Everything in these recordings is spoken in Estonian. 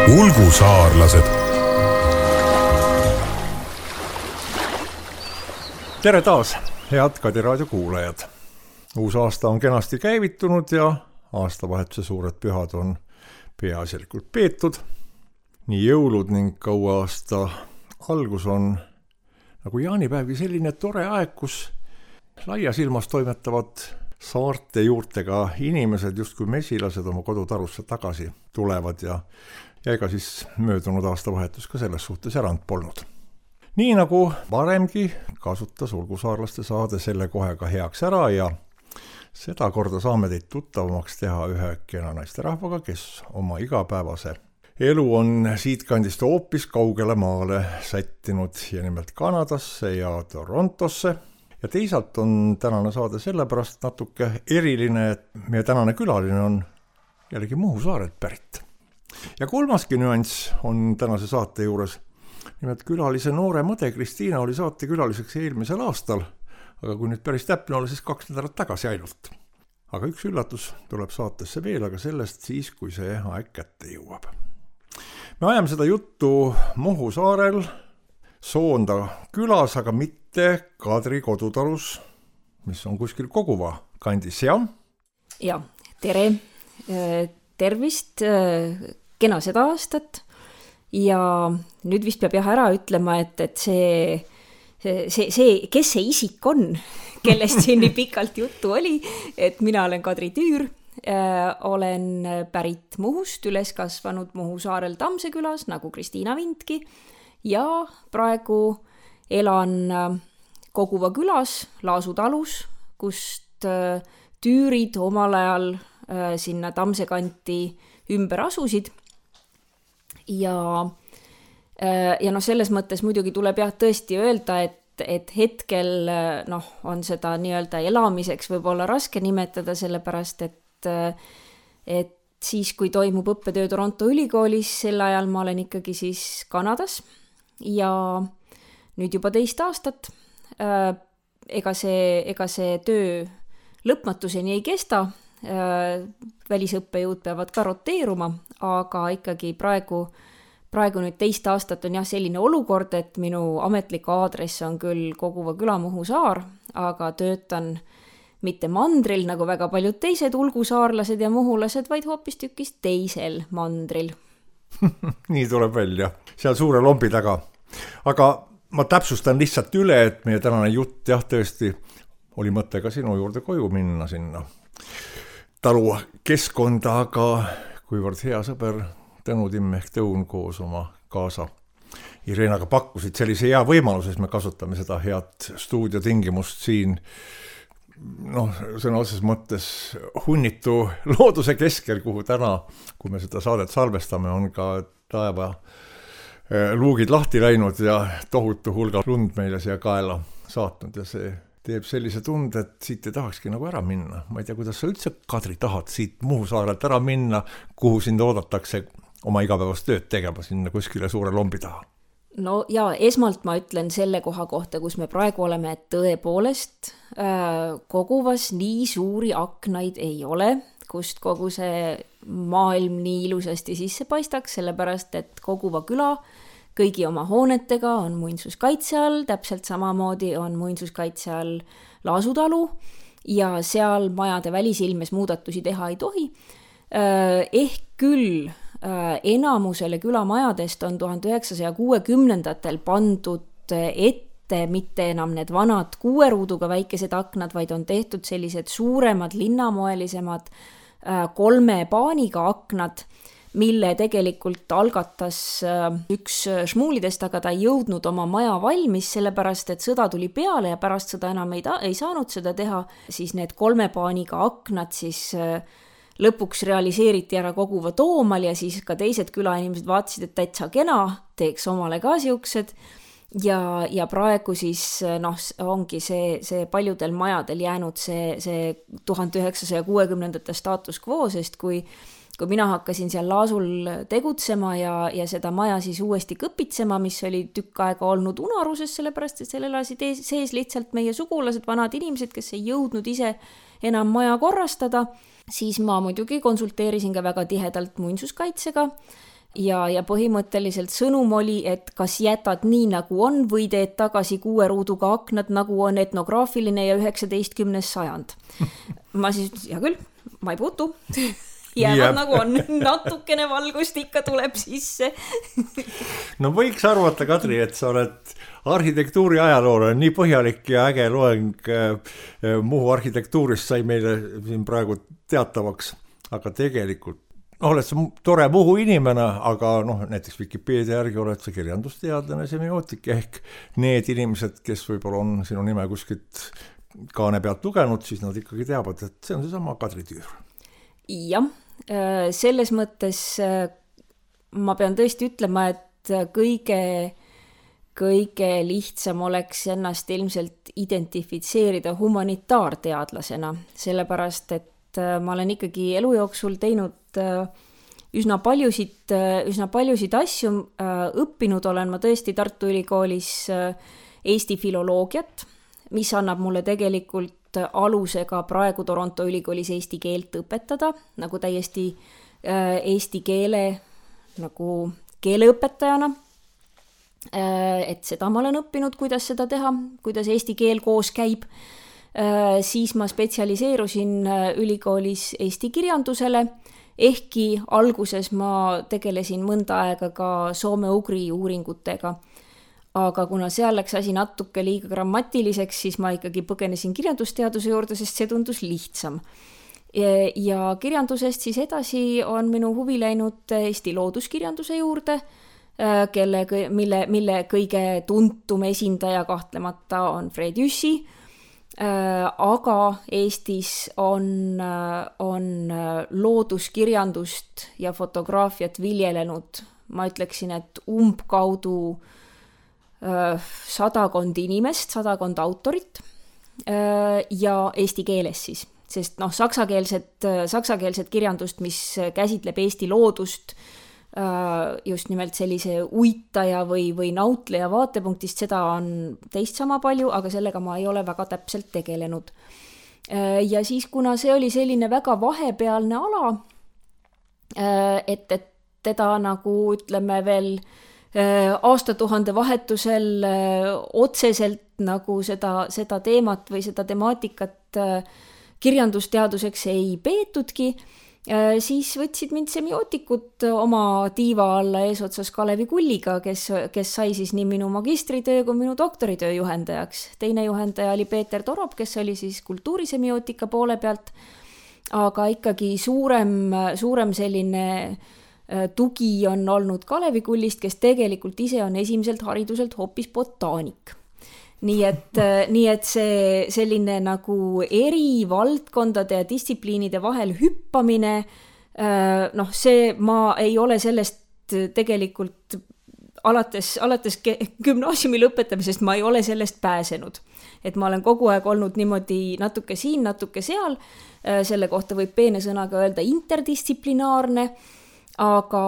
Ulgusaarlased. Tere taas, head Kadi raadio kuulajad. Uus aasta on kenasti käivitunud ja aastavahetuse suured pühad on peaasjalikult peetud. Nii jõulud ning kaua aasta algus on nagu jaanipäevgi selline tore aeg, kus laias ilmas toimetavad saarte juurtega inimesed justkui mesilased oma kodutarusse tagasi tulevad ja ega siis möödunud aastavahetus ka selles suhtes erand polnud. Nii nagu varemgi kasutas Ulgusaarlaste saade selle kohe ka heaks ära ja seda korda saame teid tuttavamaks teha ühe kena naisterahvaga, kes oma igapäevase elu on siitkandist hoopis kaugele maale sättinud ja nimelt Kanadasse ja Torontosse. Ja teisalt on tänane saade sellepärast natuke eriline, et meie tänane külaline on jällegi Muhu saarelt pärit. Ja kolmaski nüanss on tänase saate juures. Nimelt külalise noore mõde Kristiina oli saate külaliseks eelmisel aastal, aga kui nüüd päris täpne olla, siis 2 nädalat tagasi ainult. Aga üks üllatus tuleb saatesse veel, aga sellest siis, kui see aeg kätte jõuab. Me ajame seda juttu Muhu saarel, Soonda külas, aga mitte Kadri kodutalus, mis on kuskil Koguva kandis, jah? Ja, tere, tervist, kena seda aastat ja nüüd vist peab ära ütlema, et see, kes see isik on, kellest siin nii pikalt juttu oli, et mina olen Kadri Tüür, olen pärit Muhust, üles kasvanud Muhu saarel Tamse külas, nagu Kristiina Vintki, ja praegu elan Koguva külas, Laasu talus, kust Tüürid omal ajal sinna Tamse kanti ümber asusid. Ja selles mõttes muidugi tuleb tõesti öelda, et hetkel on seda nii-öelda elamiseks võib-olla raske nimetada, sellepärast et siis, kui toimub õppetöö Toronto ülikoolis, sel ajal ma olen ikkagi siis Kanadas ja nüüd juba 2 aastat. Ega see töö lõpmatuseni ei kesta, välisõppejõud peavad ka roteeruma, aga ikkagi praegu nüüd 2 aastat on selline olukord, et minu ametlik aadress on küll Koguva küla Muhu saar, aga töötan mitte mandril, nagu väga paljud teised ulgusaarlased ja muhulased, vaid hoopis tükis teisel mandril. Nii tuleb välja, seal suure lombi taga. Aga ma täpsustan lihtsalt üle, et meie tänane jutt tõesti oli mõte ka sinu juurde koju minna sinna talu keskkonda, aga kuivõrd hea sõber Tõnu Timm ehk Tõun koos oma kaasa Irenaga pakkusid sellise hea võimaluse, siis me kasutame seda head stuudiotingimust siin sõna otses mõttes hunnitu looduse keskel, kuhu täna, kui me seda saadet salvestame, on ka taeva luugid lahti läinud ja tohutu hulga lund meile siia kaela saatnud ja see teeb sellise tunde, et siit ei tahakski nagu ära minna. Ma ei tea, kuidas sa üldse, Kadri, tahad siit Muhu saarelt ära minna, kuhu sind oodatakse oma igapäevast tööd tegema sinna kuskile suure lombi taha? No ja esmalt ma ütlen selle koha kohta, kus me praegu oleme, et tõepoolest Koguvas nii suuri aknaid ei ole, kust kogu see maailm nii ilusasti sisse paistaks, sellepärast, et Koguva küla kõigi oma hoonetega on muinsuskaitse all, täpselt samamoodi on muinsuskaitse all Laasu talu ja seal majade välisilmes muudatusi teha ei tohi. Ehk küll enamusele külamajadest on 1960-ndatel pandud ette mitte enam need vanad 6 ruuduga väikesed aknad, vaid on tehtud sellised suuremad linnamoelisemad 3 paaniga aknad, mille tegelikult algatas üks šmuulidest, aga ta ei jõudnud oma maja valmis, sellepärast et sõda tuli peale ja pärast sõda enam ei saanud seda teha, siis need 3 paaniga aknad siis lõpuks realiseeriti ära Koguva Toomal ja siis ka teised külainimesed vaatasid, et täitsa kena, teeks omale ka siuksed. Ja praegu siis ongi see paljudel majadel jäänud see 1960-ndate status quo, sest kui mina hakkasin seal Laasul tegutsema ja seda maja siis uuesti kõpitsema, mis oli tükk aega olnud unaruses, sellepärast et seal elasid sees lihtsalt meie sugulased, vanad inimesed, kes ei jõudnud ise enam maja korrastada, siis ma muidugi konsulteerisin ka väga tihedalt muinsuskaitsega ja põhimõtteliselt sõnum oli, et kas jätad nii nagu on või teed tagasi 6 ruuduga aknad, nagu on etnograafiline ja 19. sajand. Ma siis, hea küll, ma ei puutu. Jäävad nagu on, natukene valgust ikka tuleb sisse. No võiks arvata, Kadri, et sa oled arhitektuuri ajaloole nii põhjalik ja äge loeng Muhu arhitektuurist sai meile siin praegu teatavaks, aga tegelikult oled sa tore Muhu inimene, aga näiteks Wikipedia järgi oled sa kirjandusteadlane, semiootik, ehk need inimesed, kes võib-olla on sinu nime kuskilt kaane pealt lugenud, siis nad ikkagi teavad, et see on seesama Kadri Tüür. Jah, selles mõttes ma pean tõesti ütlema, et kõige lihtsam oleks ennast ilmselt identifitseerida humanitaarteadlasena, sellepärast et ma olen ikkagi elu jooksul teinud üsna paljusid asju, õppinud olen ma tõesti Tartu Ülikoolis Eesti filoloogiat, mis annab mulle tegelikult alusega praegu Toronto Ülikoolis eesti keelt õpetada, nagu täiesti eesti keele nagu keeleõpetajana. Et seda ma olen õppinud, kuidas seda teha, kuidas eesti keel koos käib. Siis ma spetsialiseerusin ülikoolis eesti kirjandusele, ehkki alguses ma tegelesin mõnda aega ka soome-ugri uuringutega. Aga kuna seal läks asi natuke liiga grammatiliseks, siis ma ikkagi põgenesin kirjandusteaduse juurde, sest see tundus lihtsam. Ja kirjandusest siis edasi on minu huvi läinud Eesti looduskirjanduse juurde, mille kõige tuntum esindaja kahtlemata on Fred Jüssi, aga Eestis on looduskirjandust ja fotograafiat viljelenud, ma ütleksin, et umbkaudu 100 inimest, 100 autorit ja eesti keeles siis, sest saksakeelset kirjandust, mis käsitleb Eesti loodust just nimelt sellise uitaja või nautleja vaatepunktist, seda on teist sama palju, aga sellega ma ei ole väga täpselt tegelenud. Ja siis, kuna see oli selline väga vahepealne ala, et teda nagu ütleme veel aastatuhande vahetusel otseselt nagu seda teemat või seda temaatikat kirjandusteaduseks ei peetudki, siis võtsid mind semiootikud oma tiiva alla eesotsas Kalevi Kulliga, kes sai siis nii minu magistritöö kui minu doktoritöö juhendajaks. Teine juhendaja oli Peeter Torop, kes oli siis kultuurisemiotika poole pealt, aga ikkagi suurem selline tugi on olnud Kalevi Kullist, kes tegelikult ise on esimeselt hariduselt hoopis botaanik. Nii et see selline nagu eri valdkondade ja distsipliinide vahel hüppamine, see ma ei ole sellest tegelikult alates gümnaasiumi lõpetamisest ma ei ole sellest pääsenud. Et ma olen kogu aeg olnud niimoodi natuke siin, natuke seal, selle kohta võib peene sõnaga öelda interdistsiplinaarne, aga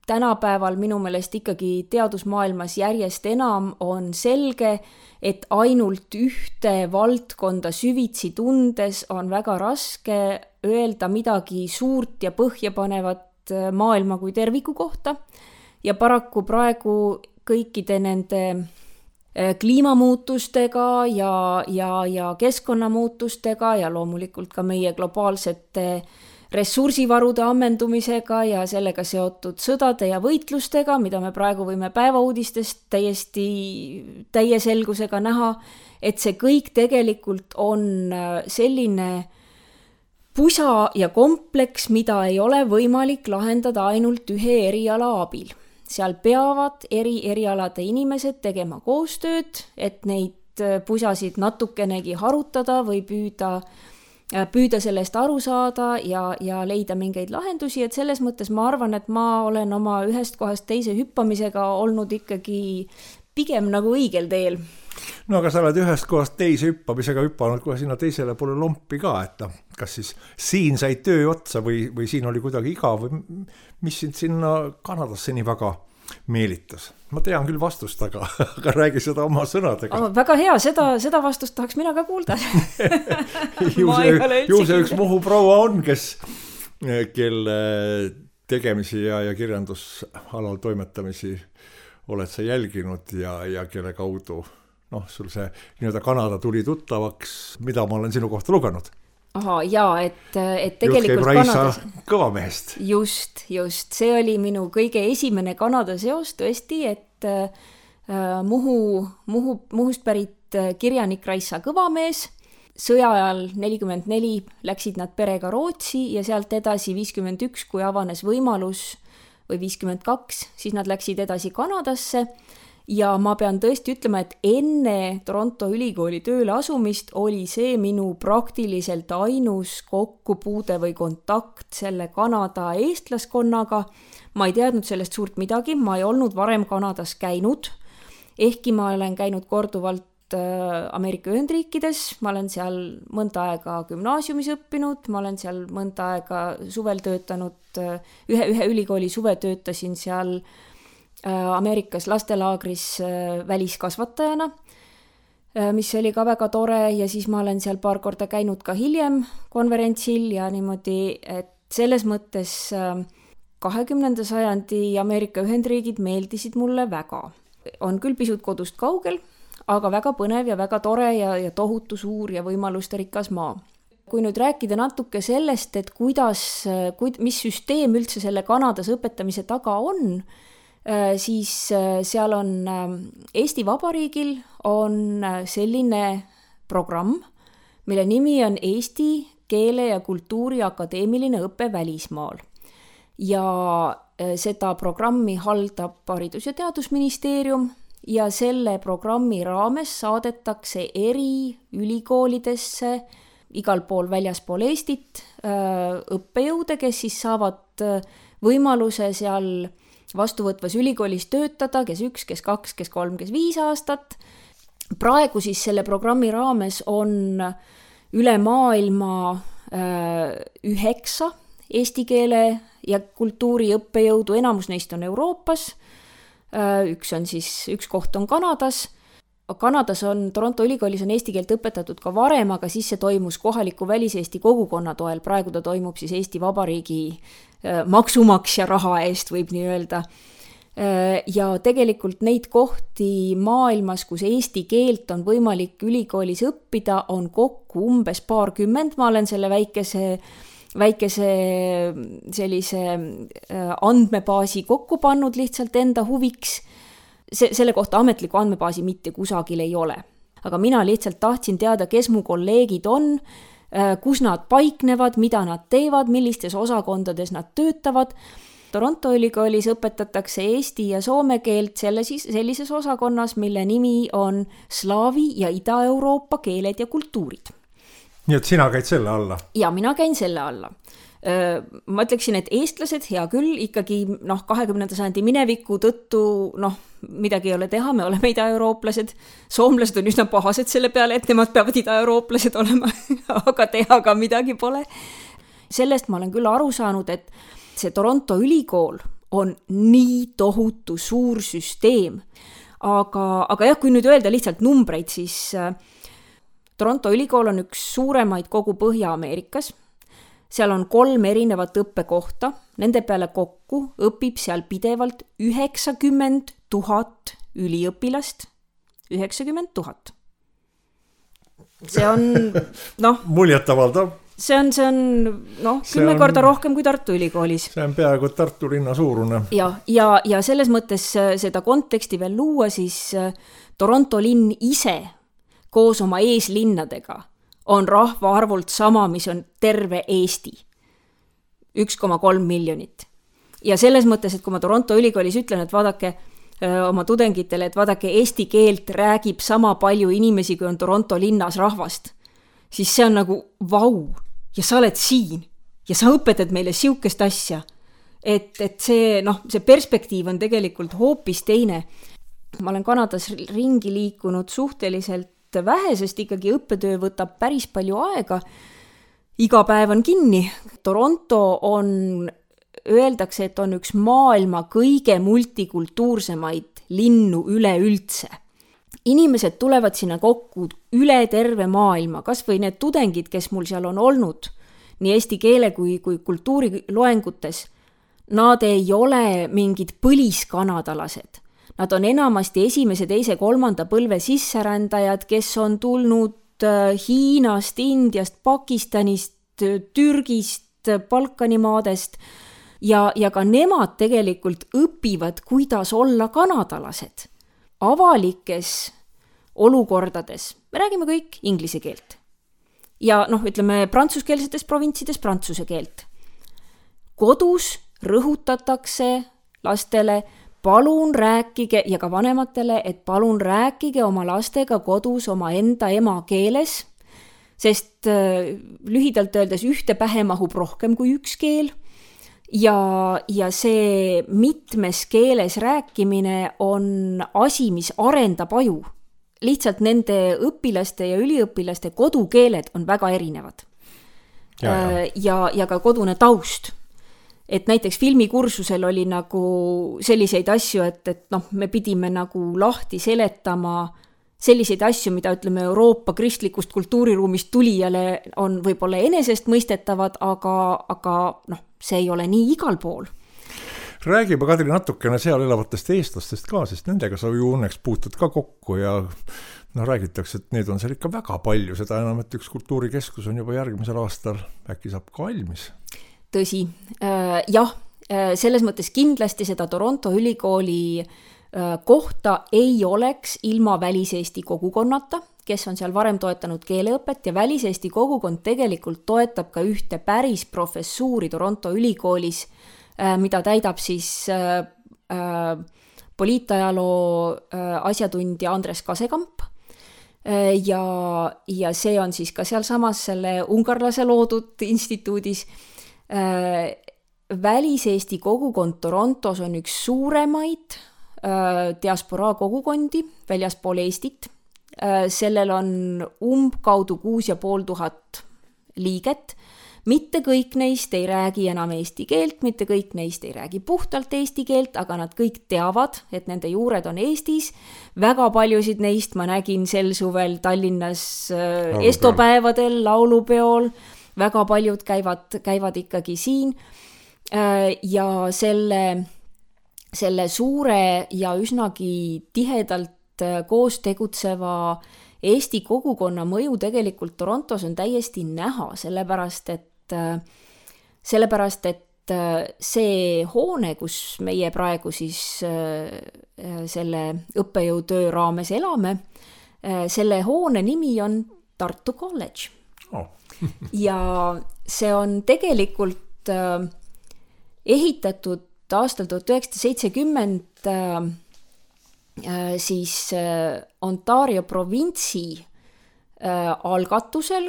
tänapäeval minu meelest ikkagi teadusmaailmas järjest enam on selge, et ainult ühte valdkonda süvitsi tundes on väga raske öelda midagi suurt ja põhjapanevat maailma kui terviku kohta. Ja paraku praegu kõikide nende kliimamuutustega ja keskkonnamuutustega ja loomulikult ka meie globaalsete ressursivarude ammendumisega ja sellega seotud sõdade ja võitlustega, mida me praegu võime päevauudistest täiesti täie selgusega näha, et see kõik tegelikult on selline pusa ja kompleks, mida ei ole võimalik lahendada ainult ühe eriala abil. Seal peavad erialade inimesed tegema koostööd, et neid pusasid natukenegi harutada või püüda sellest aru saada ja leida mingeid lahendusi, et selles mõttes ma arvan, et ma olen oma ühest kohast teise hüppamisega olnud ikkagi pigem nagu õigel teel. No aga sa oled ühest kohast teise hüppamisega hüppanud kohe sinna teisele poole lompi ka, et kas siis siin sai töö otsa või siin oli kuidagi igav või mis sind sinna Kanadasse nii väga meelitas? Ma tean küll vastust, aga räägi seda oma sõnadega. Väga hea, seda vastust tahaks mina ka kuulda. Ju see üks Muhu proua on, kelle tegemisi ja kirjandusalal toimetamisi oled sa jälginud ja kelle kaudu sul see nii-öelda Kanada tuli tuttavaks, mida ma olen sinu kohta lugenud? Aha, jaa, et tegelikult Kanadas... kõvamehest. Just. See oli minu kõige esimene Kanada seos tõesti, et Muhust pärit kirjanik Raisa Kõvamees. Sõja ajal 44 läksid nad perega Rootsi ja sealt edasi 51, kui avanes võimalus, või 52, siis nad läksid edasi Kanadasse. Ja ma pean tõesti ütlema, et enne Toronto ülikooli tööle asumist oli see minu praktiliselt ainus kokkupuude või kontakt selle Kanada eestlaskonnaga. Ma ei teadnud sellest suurt midagi, ma ei olnud varem Kanadas käinud, ehkki ma olen käinud korduvalt Ameerika Ühendriikides, ma olen seal mõnda aega gümnaasiumis õppinud, ma olen seal mõnda aega suvel töötanud, ühe ülikooli suve töötasin seal Ameerikas lastelaagris väliskasvatajana, mis oli ka väga tore ja siis ma olen seal paar korda käinud ka hiljem konverentsil ja niimoodi, et selles mõttes 20. sajandi Ameerika Ühendriigid meeldisid mulle väga. On küll pisut kodust kaugel, aga väga põnev ja väga tore ja tohutu suur ja võimaluste rikas maa. Kui nüüd rääkida natuke sellest, et mis süsteem üldse selle Kanadas õpetamise taga on, siis seal on Eesti Vabariigil on selline programm, mille nimi on Eesti Keele ja Kultuuri Akadeemiline õpe välismaal. Ja seda programmi haldab Haridus- ja Teadusministeerium ja selle programmi raames saadetakse eri ülikoolidesse igal pool väljaspool Eestit õppejõude, kes siis saavad võimaluse seal vastuvõtvas ülikoolis töötada, kes 1, kes 2, kes 3, kes 5 aastat. Praegu siis selle programmi raames on üle maailma 9 eesti keele ja kultuuri õppejõudu, enamus neist on Euroopas, üks koht on Kanadas. Kanadas Toronto ülikoolis on eesti keelt õpetatud ka varem, aga siis see toimus kohaliku väliseesti kogukonna toel, praegu ta toimub siis Eesti Vabariigi maksumaksja raha eest, võib nii öelda. Ja tegelikult neid kohti maailmas, kus eesti keelt on võimalik ülikoolis õppida, on kokku umbes 20, ma olen selle väikese sellise andmebaasi kokku pannud lihtsalt enda huviks. Selle kohta ametliku andmebaasi mitte kusagil ei ole. Aga mina lihtsalt tahtsin teada, kes mu kolleegid on, kus nad paiknevad, mida nad teevad, millistes osakondades nad töötavad. Toronto ülikoolis õpetatakse eesti ja soome keelt sellises osakonnas, mille nimi on Slaavi ja Ida-Euroopa keeled ja kultuurid. Nii et sina käid selle alla? Ja mina käin selle alla. Ma ütleksin, et eestlased, hea küll, ikkagi 20. sajandi mineviku tõttu, midagi ei ole teha, me oleme ida-eurooplased. Soomlased on üsna pahased selle peale, et nemad peavad ida-eurooplased olema, aga teha ka midagi pole. Sellest ma olen küll aru saanud, et see Toronto ülikool on nii tohutu suur süsteem. Aga jah, kui nüüd öelda lihtsalt numbreid, siis Toronto ülikool on üks suuremaid kogu Põhja-Ameerikas. Seal on 3 erinevat õppekohta, nende peale kokku õpib seal pidevalt 90 000 üliõpilast. 90 000. See on, muljetavaldav. See on 10 korda rohkem kui Tartu ülikoolis. See on peaaegu Tartu linna suurune. Ja selles mõttes seda konteksti veel luua, siis Toronto linn ise koos oma eeslinnadega on rahvaarvult sama, mis on terve Eesti. 1,3 miljonit. Ja selles mõttes, et kui ma Toronto ülikoolis ütlen, et vaadake oma tudengitele, et vaadake, eesti keelt räägib sama palju inimesi, kui on Toronto linnas rahvast, siis see on nagu vau. Ja sa oled siin ja sa õpetad meile siukest asja. Et see perspektiiv on tegelikult hoopis teine. Ma olen Kanadas ringi liikunud suhteliselt vähe, sest ikkagi õppetöö võtab päris palju aega. Iga päev on kinni. Toronto öeldakse, et on üks maailma kõige multikultuursemaid linnu üleüldse. Inimesed tulevad sinna kokku üle terve maailma, kas või need tudengid, kes mul seal on olnud, nii eesti keele kui kultuuri loengutes. nad ei ole mingid põliskanadalased. Nad on enamasti esimese, teise, kolmanda põlve sisserändajad, kes on tulnud Hiinast, Indiast, Pakistanist, Türgist, Balkanimaadest ja ka nemad tegelikult õpivad, kuidas olla kanadalased. Avalikes olukordades me räägime kõik inglise keelt. Ja ütleme, prantsuskeelsetes provintsides prantsuse keelt. Kodus rõhutatakse lastele, palun rääkige, ja ka vanematele, et palun rääkige oma lastega kodus oma enda emakeeles, sest lühidalt öeldes ühte pähe mahub rohkem kui üks keel. Ja see mitmes keeles rääkimine on asi, mis arendab aju. Lihtsalt nende õpilaste ja üliõpilaste kodukeeled on väga erinevad. Ja ka kodune taust. Et näiteks filmikursusel oli nagu selliseid asju, et me pidime nagu lahti seletama selliseid asju, mida ütleme Euroopa kristlikust kultuuriruumist tulijale on võib-olla enesestmõistetavad, aga see ei ole nii igal pool. Räägime, Kadri, natukene seal elavatest eestlastest ka, sest nendega sa ju õnneks puutud ka kokku ja räägitakse, et neid on seal ikka väga palju, seda enam, et üks kultuurikeskus on juba järgmisel aastal, äkki saab ka valmis. Tõsi, jah, selles mõttes kindlasti seda Toronto ülikooli kohta ei oleks ilma väliseesti kogukonnata, kes on seal varem toetanud keeleõpet ja väliseesti kogukond tegelikult toetab ka ühte päris professuuri Toronto ülikoolis, mida täidab siis poliitajaloo asjatundja Andres Kasekamp ja see on siis ka sealsamas selle ungarlase loodud instituudis. Väliseesti kogukond Torontos on üks suuremaid diasporaa kogukondi väljaspool Eestit. Sellel on umbkaudu 6500 liiget. Mitte kõik neist ei räägi enam eesti keelt, mitte kõik neist ei räägi puhtalt eesti keelt, aga nad kõik teavad, et nende juured on Eestis. Väga paljusid neist ma nägin sel suvel Tallinnas estopäevadel, laulupeol. Väga paljud käivad ikkagi siin ja selle suure ja üsnagi tihedalt koos tegutseva Eesti kogukonna mõju tegelikult Torontos on täiesti näha, sellepärast et see hoone, kus meie praegu siis selle õppejõutöö raames elame, selle hoone nimi on Tartu College. Ja see on tegelikult ehitatud aastal 1970 siis Ontario provintsi algatusel,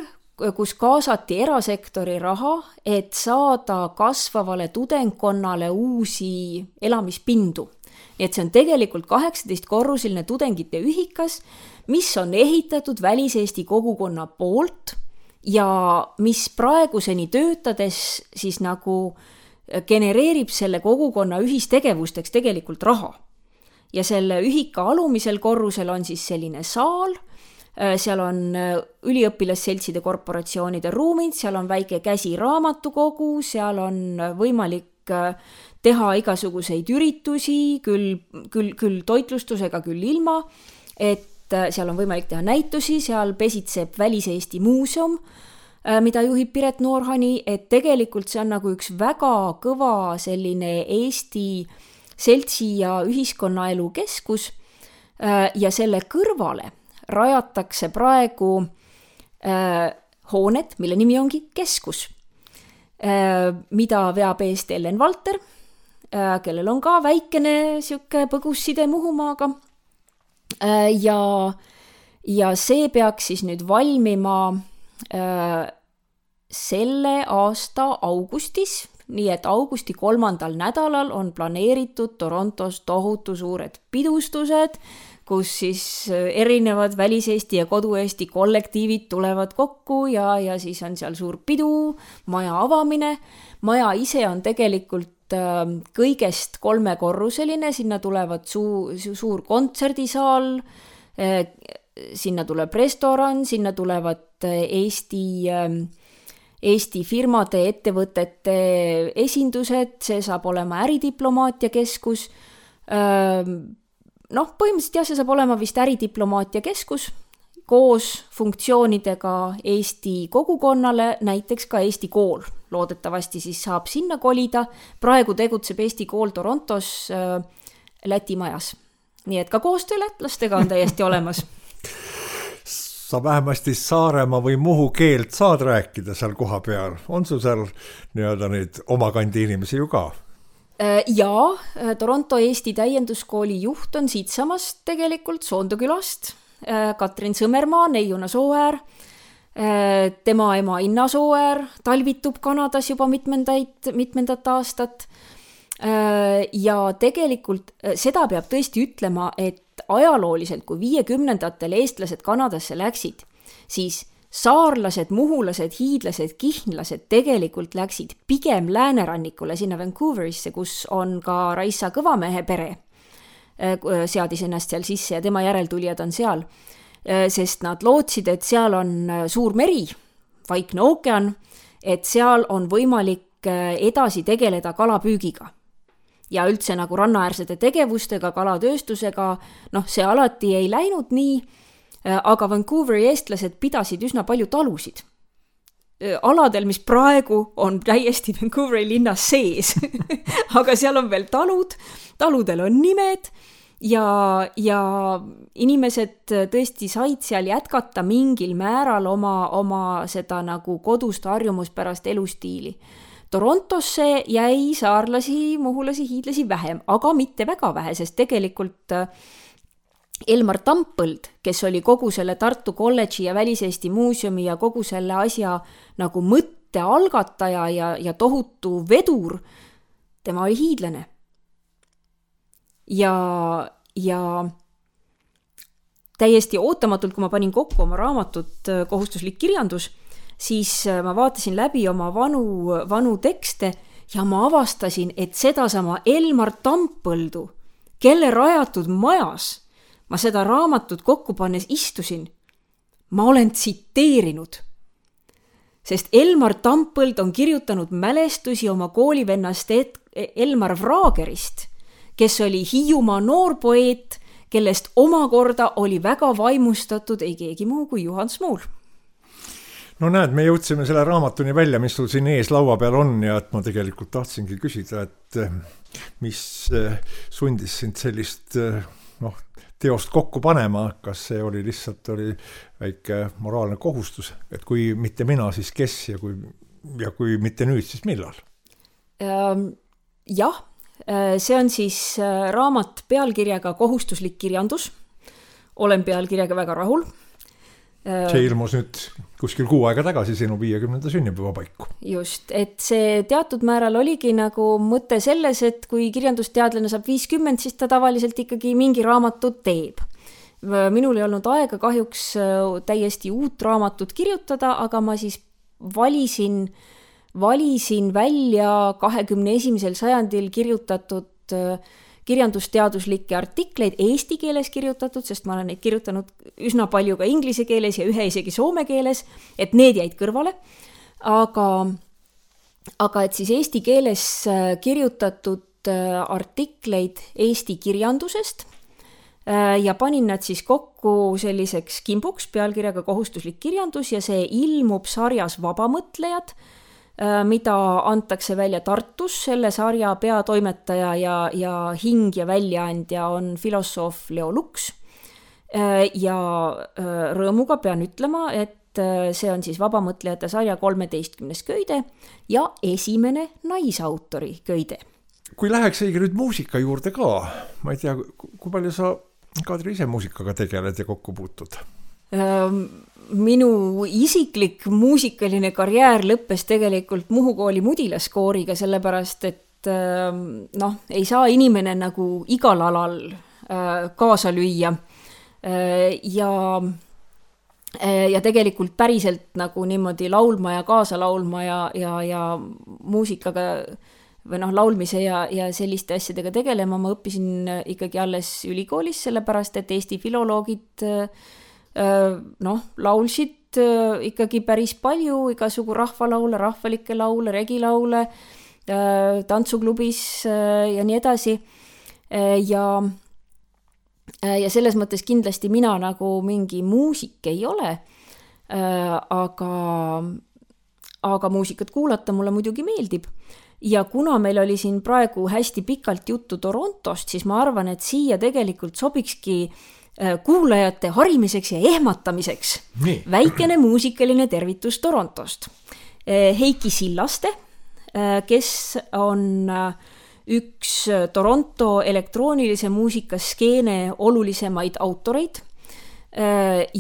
kus kaasati erasektori raha, et saada kasvavale tudengkonnale uusi elamispindu. Et see on tegelikult 18-korruseline tudengite ühikas, mis on ehitatud väliseesti kogukonna poolt ja mis praeguseni töötades siis nagu genereerib selle kogukonna ühistegevusteks tegelikult raha. Ja selle ühika alumisel korrusel on siis selline saal, seal on üliõpilasseltside korporatsioonide ruumid, seal on väike käsiraamatukogu, seal on võimalik teha igasuguseid üritusi, küll toitlustusega, küll ilma, et seal on võimalik teha näitusi, seal pesitseb Väliseesti muuseum, mida juhib Piret Noorhani, et tegelikult see on nagu üks väga kõva selline Eesti seltsi ja ühiskonnaelu keskus ja selle kõrvale rajatakse praegu hooned, mille nimi ongi keskus, mida veab eest Ellen Valter, kellel on ka väikene siuke põgus side Muhumaaga. Ja see peaks siis nüüd valmima selle aasta augustis, nii et augusti 3. nädalal on planeeritud Torontos tohutu suured pidustused, kus siis erinevad väliseesti ja kodueesti kollektiivid tulevad kokku ja siis on seal suur pidu, maja avamine. Maja ise on tegelikult kõigest 3-korruseline, sinna tulevad suur kontserdisaal, sinna tuleb restoran, sinna tulevad Eesti firmade, ettevõtete esindused, see saab olema äridiplomaatia keskus. Põhimõtteliselt jah, see saab olema vist äridiplomaatia keskus koos funktsioonidega Eesti kogukonnale, näiteks ka Eesti kool. Loodetavasti siis saab sinna kolida. Praegu tegutseb Eesti kool Torontos Läti majas. Nii et ka koostöö lätlastega on täiesti olemas. Sa vähemasti Saaremaa või Muhu keelt saad rääkida seal koha peal. On sul seal nii-öelda neid oma kandi inimesi ju ka? Jaa, Toronto Eesti täienduskooli juht on siitsamast tegelikult Soondokülast. Katrin Sõmermaa, Neiuna Sooäär, tema ema Inna Sooäär talvitub Kanadas juba mitmendat aastat. Ja tegelikult seda peab tõesti ütlema, et ajalooliselt, kui 50-ndatel eestlased Kanadasse läksid, siis saarlased, muhulased, hiidlased, kihnlased tegelikult läksid pigem läänerannikule sinna Vancouverisse, kus on ka Raissa Kõvamehe pere, seadis ennast seal sisse ja tema järeltulijad on seal, sest nad lootsid, et seal on suur meri, Vaikne ookean, et seal on võimalik edasi tegeleda kalapüügiga. Ja üldse nagu rannaäärsete tegevustega, kalatööstusega, see alati ei läinud nii, aga Vancouveri eestlased pidasid üsna palju talusid. Aladel, mis praegu on täiesti Vancouveri linnas sees, aga seal on veel taludel on nimed ja inimesed tõesti said seal jätkata mingil määral oma seda nagu kodust harjumuspärast elustiili. Torontosse jäi saarlasi, muhulasi, hiidlasi vähem, aga mitte väga vähe, sest tegelikult Elmar Tampõld, kes oli kogu selle Tartu kolledži ja Väliseesti muuseumi ja kogu selle asja nagu mõtte algataja ja tohutu vedur, tema oli hiidlane. Ja täiesti ootamatult, kui ma panin kokku oma raamatut Kohustuslik kirjandus, siis ma vaatasin läbi oma vanu tekste ja ma avastasin, et sedasama Elmar Tampõldu, kelle rajatud majas ma seda raamatut kokku pannes istusin, ma olen tsiteerinud. Sest Elmar Tampõld on kirjutanud mälestusi oma koolivennast Elmar Vraagerist, kes oli Hiiumaa noorpoeet, kellest omakorda oli väga vaimustatud ei keegi muu kui Juhan Smuul. No näed, me jõudsime selle raamatuni välja, mis sul siin ees laua peal on ja et ma tegelikult tahtsingi küsida, et mis sundis sind sellist teost kokku panema, kas see oli lihtsalt väike moraalne kohustus, et kui mitte mina, siis kes ja kui mitte nüüd, siis millal? Jah, see on siis raamat pealkirjaga Kohustuslik kirjandus. Olen pealkirjaga väga rahul. See ilmus nüüd kuskil 6 aega tagasi sinu 50. sünnipäeva paiku. Just, et see teatud määral oligi nagu mõte selles, et kui kirjandusteadlane saab 50, siis ta tavaliselt ikkagi mingi raamatut teeb. Minul ei olnud aega kahjuks täiesti uut raamatut kirjutada, aga ma siis valisin välja 21. sajandil kirjutatud kirjandusteaduslikke artikleid eesti keeles kirjutatud, sest ma olen neid kirjutanud üsna palju ka inglise keeles ja ühe isegi soome keeles, et need jäid kõrvale. Aga et siis eesti keeles kirjutatud artikleid eesti kirjandusest ja panin nad siis kokku selliseks kimbuks pealkirjaga Kohustuslik kirjandus ja see ilmub sarjas Vabamõtlejad, mida antakse välja Tartus. Selle sarja peatoimetaja ja hing ja väljaandja on filosoof Leo Luks. Ja rõõmuga pean ütlema, et see on siis Vabamõtlejate sarja 13. köide ja esimene naisautori köide. Kui läheks õige nüüd muusika juurde ka, ma ei tea, kui palju sa, Kadri, ise muusikaga tegeled ja kokku puutud? Minu isiklik muusikaline karjäär lõppes tegelikult Muhu kooli mudilaskooriga, sellepärast et ei saa inimene nagu igal alal kaasa lüüa ja tegelikult päriselt nagu niimoodi laulma ja kaasa laulma ja muusikaga või laulmise ja selliste asjadega tegelema ma õppisin ikkagi alles ülikoolis, sellepärast et Eesti filoloogid laulsid ikkagi päris palju, igasugu rahvalaule, rahvalikke laule, regilaule, tantsuklubis ja nii edasi. Ja selles mõttes kindlasti mina nagu mingi muusik ei ole, aga muusikat kuulata mulle muidugi meeldib. Ja kuna meil oli siin praegu hästi pikalt juttu Torontost, siis ma arvan, et siia tegelikult sobikski kuulajate harimiseks ja ehmatamiseks väikene muusikaline tervitus Torontost. Heiki Sillaste, kes on üks Toronto elektroonilise muusikaskeene olulisemaid autoreid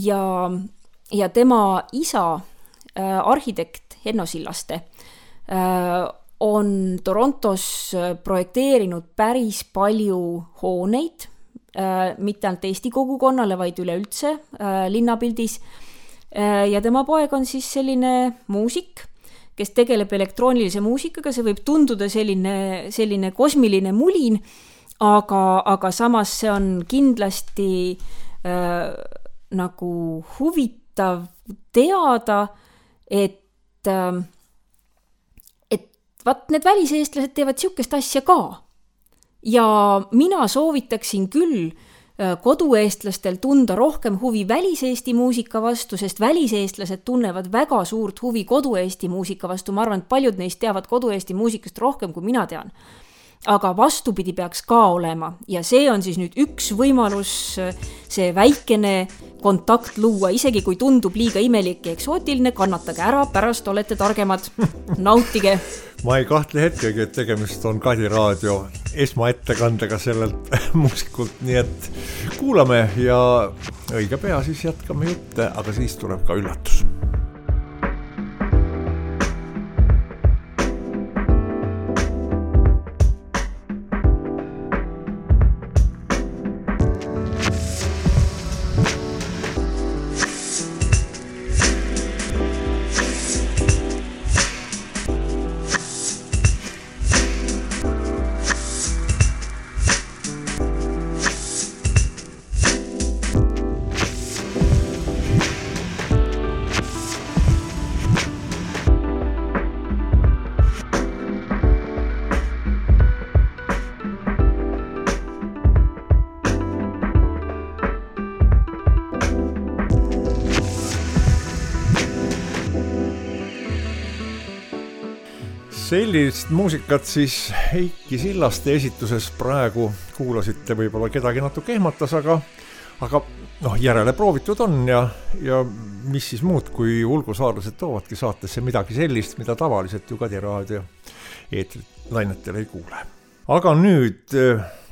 ja tema isa, arhitekt Henno Sillaste, on Torontos projekteerinud päris palju hooneid, mitte ainult Eesti kogukonnale, vaid üleüldse linnapildis. Ja tema poeg on siis selline muusik, kes tegeleb elektroonilise muusikaga, see võib tunduda selline kosmiline mulin, aga samas see on kindlasti nagu huvitav teada, et vaat need väliseestlased teevad siukest asja ka. Ja mina soovitaksin küll kodueestlastel tunda rohkem huvi väliseesti muusika vastu, sest väliseestlased tunnevad väga suurt huvi kodueesti muusika vastu. Ma arvan, et paljud neist teavad kodueesti muusikast rohkem, kui mina tean. Aga vastupidi peaks ka olema. Ja see on siis nüüd üks võimalus see väikene kontakt luua, isegi kui tundub liiga imelik ja eksootiline, kannatage ära, pärast olete targemad. Nautige! Ma ei kahtle hetkegi, et tegemist on Kadi Raadio esmaettekandega sellelt muusikult, nii et kuulame ja õige pea siis jätkame jutte, aga siis tuleb ka üllatus. Sellist muusikat siis Heiki Sillaste esituses praegu kuulasite, võib-olla kedagi natuke ehmatas, aga järele proovitud on ja mis siis muud, kui ulgusaarlased toovadki saatesse midagi sellist, mida tavaliselt ju Kadi Raadio eetlainetel ei kuule. Aga nüüd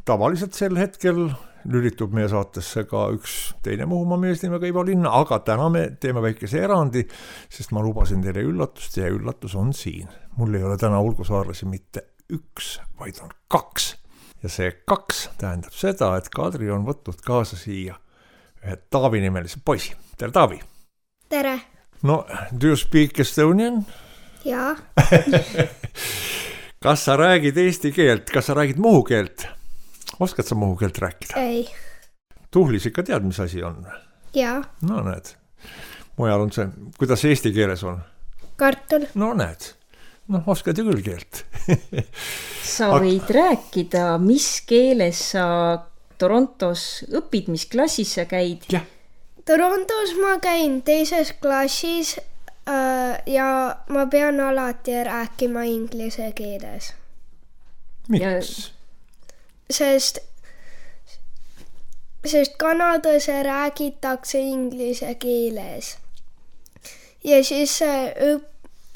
tavaliselt sel hetkel lülitub meie saatesse ka üks teine Muhumaa mees nimega Ivo Linna, aga täna me teeme väikese erandi, sest ma lubasin teile üllatust ja üllatus on siin. Mul ei ole täna ulgusaarlasi mitte üks, vaid on 2. Ja see 2 tähendab seda, et Kadri on võtnud kaasa siia ühe Taavi nimelise poisi. Tere, Taavi! Tere! No, do you speak Estonian? Jaa. Kas sa räägid eesti keelt? Kas sa räägid muhu keelt? Oskad sa muhu keelt rääkida? Ei. Tuhlis ikka tead, mis asi on? Jaa. No näed. Mujal on see, kuidas eesti keeles on? Kartul. No näed. Oskad ju küll keelt. Sa võid rääkida, mis keeles sa Torontos õpid, mis klassis sa käid? Jah. Torontos ma käin 2. klassis ja ma pean alati rääkima inglise keeles. Miks? Sest Kanadas räägitakse inglise keeles. Ja siis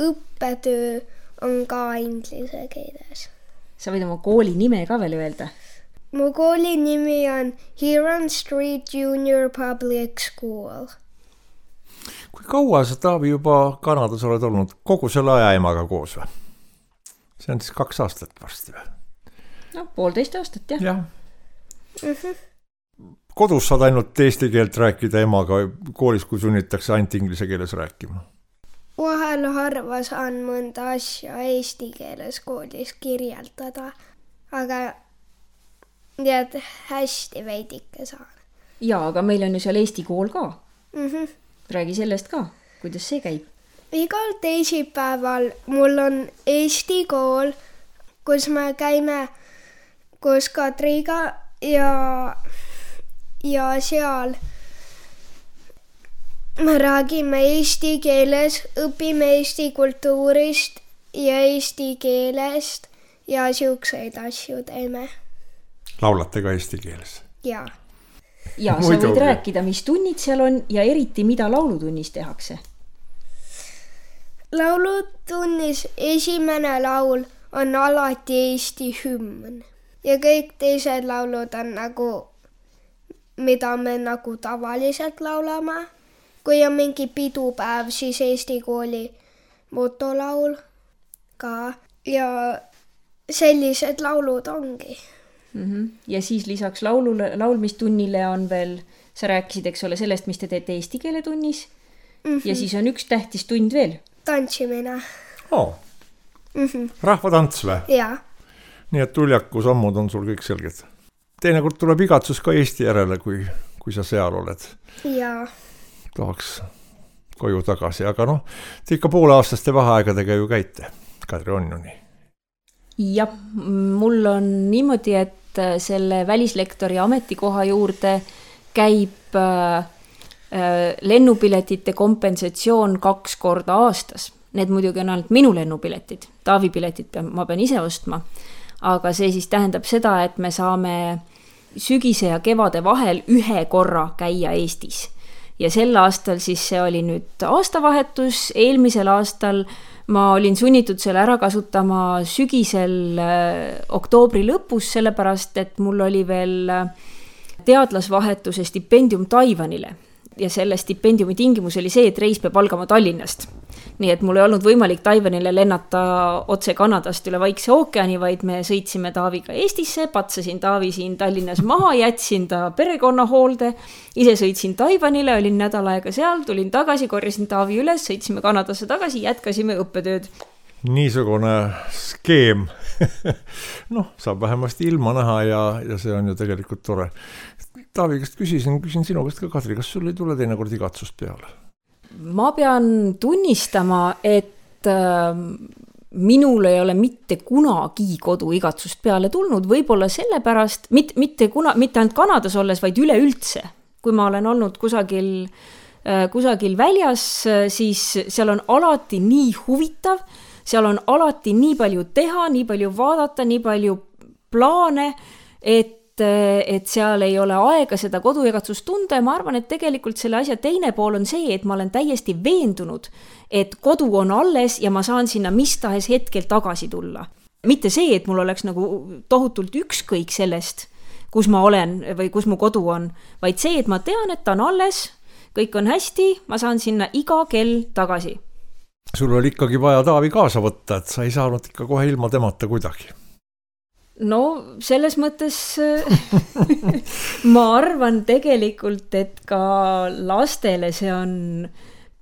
õppetöö on ka inglise keeles. Sa võid oma kooli nime ka veel öelda? Mu kooli nimi on Huron Street Junior Public School. Kui kaua sa, Taavi, juba Kanadas oled olnud? Kogu selle aja emaga koos või? See on siis 2 aastat varsti või? 1,5 aastat, jah. Kodus saad ainult eesti keelt rääkida emaga, koolis kui sunnitakse ainult inglise keeles rääkima? Vahel harva saan mõnda asja eesti keeles koolis kirjeldada, aga tead, hästi veidike saan. Jaa, aga meil on ju seal eesti kool ka. Räägi sellest ka. kuidas see käib? Igal teisipäeval mul on eesti kool, kus me käime koos Kadriga ja seal me räägime eesti keeles, õpime eesti kultuurist ja eesti keelest ja siukseid asju teeme. Laulate ka eesti keeles? Jaa. Ja sa võid rääkida, mis tunnid seal on ja eriti, mida laulutunnis tehakse? Laulutunnis esimene laul on alati Eesti hümn ja kõik teised laulud on nagu, mida me nagu tavaliselt laulame. Kui on mingi pidupäev, siis Eesti kooli motolaul ka ja sellised laulud ongi. Ja siis lisaks laulmistunnile on veel, sa rääkisid, eks ole, sellest, mis te teete eesti keele tunnis ja siis on üks tähtis tund veel. Tantsimine. Rahvatants või? Jaa. Nii et Uljaku sammud on sul kõik selged. Teinekord tuleb igatsus ka Eesti järele, kui sa seal oled. Jaa. Tahaks koju tagasi, aga te ikka pooleaastaste vaheaegadega ju käite. Kadri on ju nii. Ja mul on niimoodi, et selle välislektori ametikoha juurde käib lennupiletite kompensatsioon 2 korda aastas. Need muidugi on ainult minu lennupiletid. Taavi piletid ma pean ise ostma. Aga see siis tähendab seda, et me saame sügise ja kevade vahel 1 korra käia Eestis. Ja sel aastal siis see oli nüüd aastavahetus, eelmisel aastal ma olin sunnitud selle ära kasutama sügisel oktoobri lõpus, sellepärast, et mul oli veel teadlasvahetuse stipendium Taiwanile. Ja selle stipendiumi tingimus oli see, et reis peab algama Tallinnast. Nii et mul ei olnud võimalik Taiwanile lennata otse Kanadast üle Vaikse ookeani, vaid me sõitsime Taaviga Eestisse, patsasin Taavi siin Tallinnas maha, jätsin ta perekonna hoolde, ise sõitsin Taiwanile, olin nädal aega seal, tulin tagasi, korjasin Taavi üles, sõitsime Kanadasse tagasi, jätkasime õppetööd. Niisugune skeem. Saab vähemasti ilma näha ja see on ju tegelikult tore. Taavi, kas küsin sinu käest ka, Kadri, kas sul ei tule teinekord igatsust peale? Ma pean tunnistama, et minul ei ole mitte kunagi koduigatsust peale tulnud, võib-olla sellepärast, mitte ainult Kanadas olles, vaid üleüldse. Kui ma olen olnud kusagil väljas, siis seal on alati nii huvitav, seal on alati nii palju teha, nii palju vaadata, nii palju plaane, et seal ei ole aega seda koduigatsust tunda ja ma arvan, et tegelikult selle asja teine pool on see, et ma olen täiesti veendunud, et kodu on alles ja ma saan sinna mis tahes hetkel tagasi tulla. Mitte see, et mul oleks nagu tohutult ükskõik sellest, kus ma olen või kus mu kodu on, vaid see, et ma tean, et ta on alles, kõik on hästi, ma saan sinna iga kell tagasi. Sul oli ikkagi vaja Taavi kaasa võtta, et sa ei saanud ikka kohe ilma temata kuidagi. No selles mõttes ma arvan tegelikult, et ka lastele see on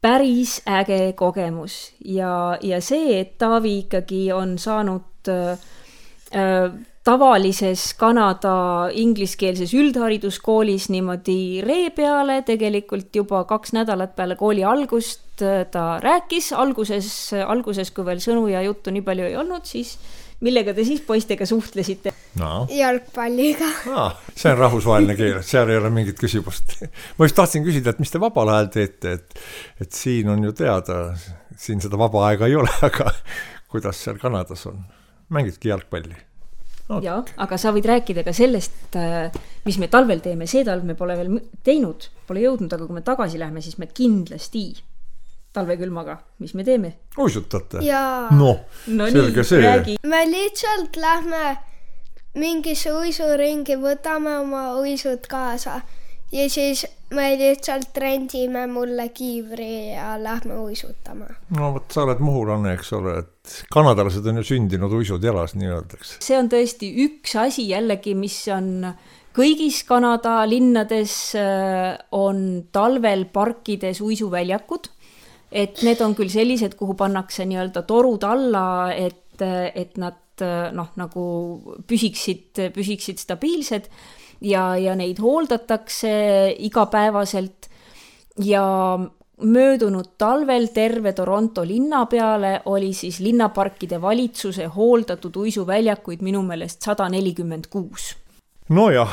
päris äge kogemus ja see, et Taavi ikkagi on saanud tavalises Kanada ingliskeelses üldhariduskoolis niimoodi ree peale, tegelikult juba 2 nädalat peale kooli algust ta rääkis, alguses kui veel sõnu ja juttu nii palju ei olnud, siis millega te siis poistega suhtlesite? Jalgpalliga. See on rahvusvaheline keel, seal ei ole mingit küsimust. Ma just tahtsin küsida, et mis te vabal ajal teete, et siin on ju teada, siin seda vaba aega ei ole, aga kuidas seal Kanadas on? Mängidki jalgpalli? Jaa, aga sa võid rääkida ka sellest, mis me talvel teeme. See talv me pole veel teinud, pole jõudnud, aga kui me tagasi lähme, siis me kindlasti talvekülmaga, mis me teeme? Uisutate? Jaa. Selge see. Me lihtsalt lähme mingisse uisuringi, võtame oma uisud kaasa ja siis me lihtsalt rendime mulle kiivri ja lähme uisutama. Sa oled muhulane, eks ole, et kanadalased on ju sündinud uisud jalas, nii öeldakse. See on tõesti üks asi jällegi, mis on kõigis Kanada linnades on talvel parkides uisuväljakud. Et need on küll sellised, kuhu pannakse nii-öelda torud alla, et nad nagu püsiksid stabiilsed ja neid hooldatakse igapäevaselt ja möödunud talvel terve Toronto linna peale oli siis linnaparkide valitsuse hooldatud uisuväljakuid minu meelest 146. Nojah,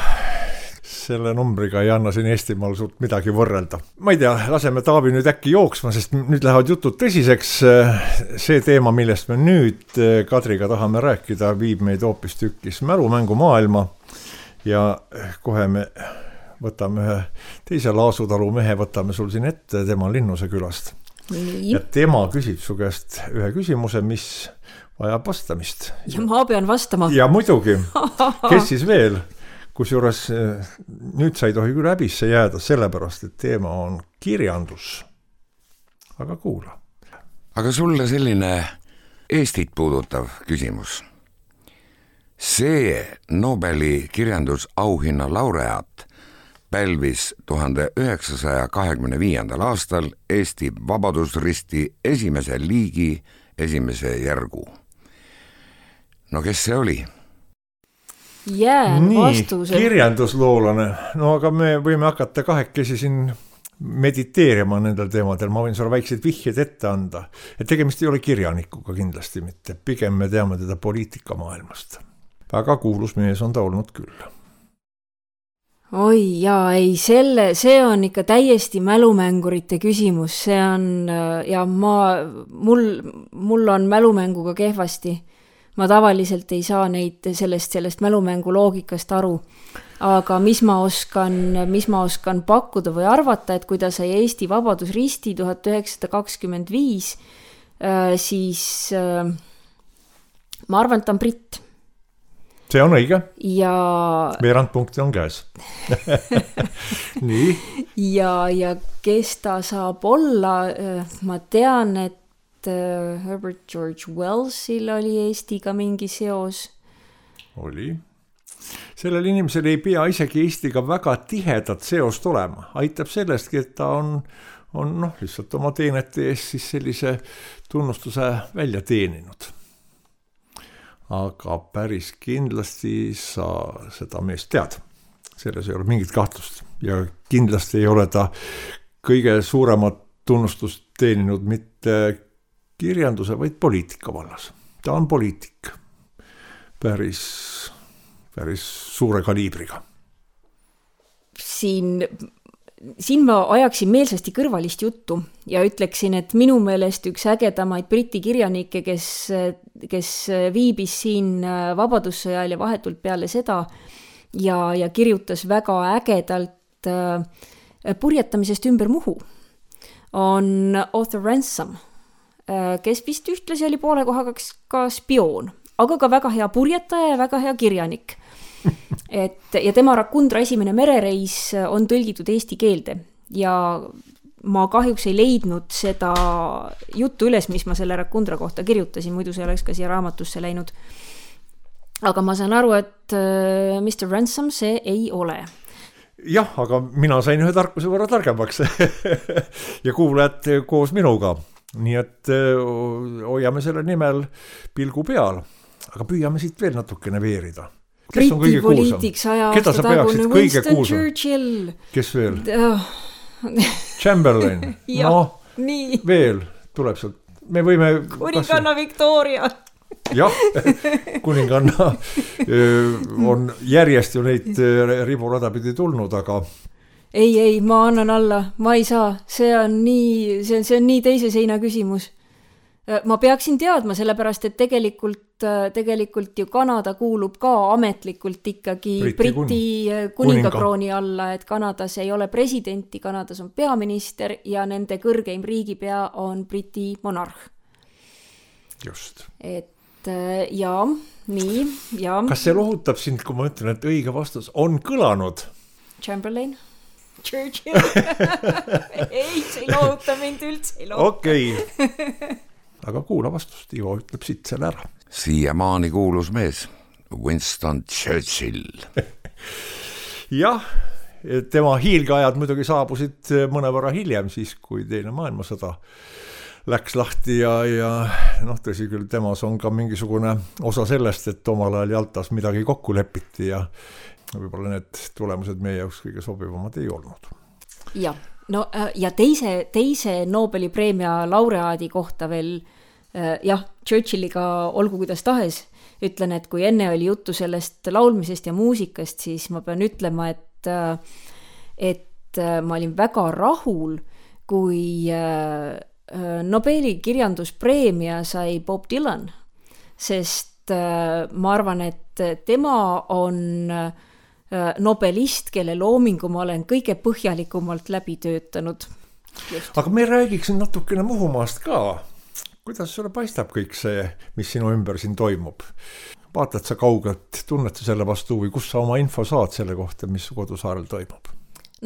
selle numbriga ei anna siin Eestimaal suurt midagi võrrelda. Ma ei tea, laseme Taavi nüüd äkki jooksma, sest nüüd lähevad jutud tõsiseks. See teema, millest me nüüd Kadriga tahame rääkida, viib meid hoopis tükkis mälumängu maailma ja kohe me võtame ühe teise Laasutalu mehe, võtame sul siin ette, tema Linnuse külast. Nii. Ja tema küsib su käest ühe küsimuse, mis vajab vastamist. Ja ma pean vastama. Ja muidugi, kes siis veel? Kusjuures nüüd sa ei tohi küll häbisse jääda, sellepärast, et teema on kirjandus. Aga kuula. Aga sulle selline Eestit puudutav küsimus. See Nobeli kirjandusauhinna laureaat pälvis 1925. aastal Eesti Vabadusristi esimese liigi esimese järgu. No kes see oli? Jään vastuse. Kirjandusloolane. No aga me võime hakata kahekesi siin mediteerima nendel teemadel. Ma võin sulle väikseid vihjeid ette anda. Et tegemist ei ole kirjanikuga kindlasti mitte. Pigem me teame teda poliitikamaailmast. Väga kuulus mees on ta olnud küll. Oi jaa, ei, see on ikka täiesti mälumängurite küsimus, see on, ja mul on mälumänguga kehvasti. Ma tavaliselt ei saa neid sellest mälumängu loogikast aru. Aga mis ma oskan pakkuda või arvata, et kui ta sai Eesti Vabadusristi 1925, siis ma arvan, et ta on britt. See on õige. Ja veerand punkti on käes. Nii. Ja kes ta saab olla, ma tean, et Herbert George Wellsil oli Eestiga mingi seos. Oli. Sellel inimesel ei pea isegi Eestiga väga tihedat seost olema. Aitab sellestki, et ta on lihtsalt oma teenete ees siis sellise tunnustuse välja teeninud. Aga päris kindlasti sa seda meest tead. Selles ei ole mingit kahtlust. Ja kindlasti ei ole ta kõige suuremat tunnustust teeninud mitte kirjanduse, vaid poliitika vallas. Ta on poliitik. Päris suure kaliibriga. Siin ma ajaksin meelsasti kõrvalist juttu ja ütleksin, et minu meelest üks ägedamaid briti kirjanikke, kes viibis siin vabadussõjal ja vahetult peale seda ja kirjutas väga ägedalt purjetamisest ümber Muhu, on Arthur Ransom, kes vist ühtlasi oli poole kohaga ka spioon, aga ka väga hea purjetaja ja väga hea kirjanik. Ja tema Rakundra esimene merereis on tõlgitud eesti keelde ja ma kahjuks ei leidnud seda juttu üles, mis ma selle Rakundra kohta kirjutasin, muidu see oleks ka siia raamatusse läinud. Aga ma saan aru, et Mr. Ransom see ei ole. Jah, aga mina sain ühe tarkuse võrra targemaks ja kuulajad koos minuga. Nii et hoiame selle nimel pilgu peal, aga püüame siit veel natukene veerida. Kes on kõige kuulsam? Keda sa peaksid kõige kuulsam? Kes veel? Chamberlain. No, nii. Veel tuleb sealt. Me võime... Kuninganna Victoria. Jah, kuninganna on järjest ju neid riburada pidi tulnud, aga... Ei, ma annan alla. Ma ei saa. See on nii teise seina küsimus. Ma peaksin teadma, sellepärast, et tegelikult ju Kanada kuulub ka ametlikult ikkagi Briti kuningakrooni alla, et Kanadas ei ole presidenti, Kanadas on peaminister ja nende kõrgeim riigipea on Briti monarh. Just. Et nii. Kas see lohutab sind, kui ma ütlen, et õige vastus on kõlanud? Chamberlain? Churchill? Ei, see ei lohuta mind üldse. Okei. Aga kuula vastust, Ivo ütleb siit selle ära. Siiamaani kuulus mees, Winston Churchill. Jah, tema hiilgeajad muidugi saabusid mõnevõrra hiljem, siis kui teine maailmasõda läks lahti ja tõsi küll, temas on ka mingisugune osa sellest, et omal ajal Jaltas midagi kokku lepiti ja võib-olla need tulemused meie jaoks kõige sobivamad ei olnud. Jah, no ja teise Nobeli preemia laureaadi kohta veel, jah, Churchilliga olgu kuidas tahes, ütlen, et kui enne oli juttu sellest laulmisest ja muusikast, siis ma pean ütlema, et ma olin väga rahul, kui Nobeli kirjanduspreemia sai Bob Dylan, sest ma arvan, et tema on nobelist, kelle loomingu ma olen kõige põhjalikumalt läbi töötanud. Aga me räägiks natukene Muhumaast ka. Kuidas sulle paistab kõik see, mis sinu ümber siin toimub? Vaatad sa kaugelt, tunned sa selle vastu või kus sa oma info saad selle kohta, mis su kodusaarel toimub?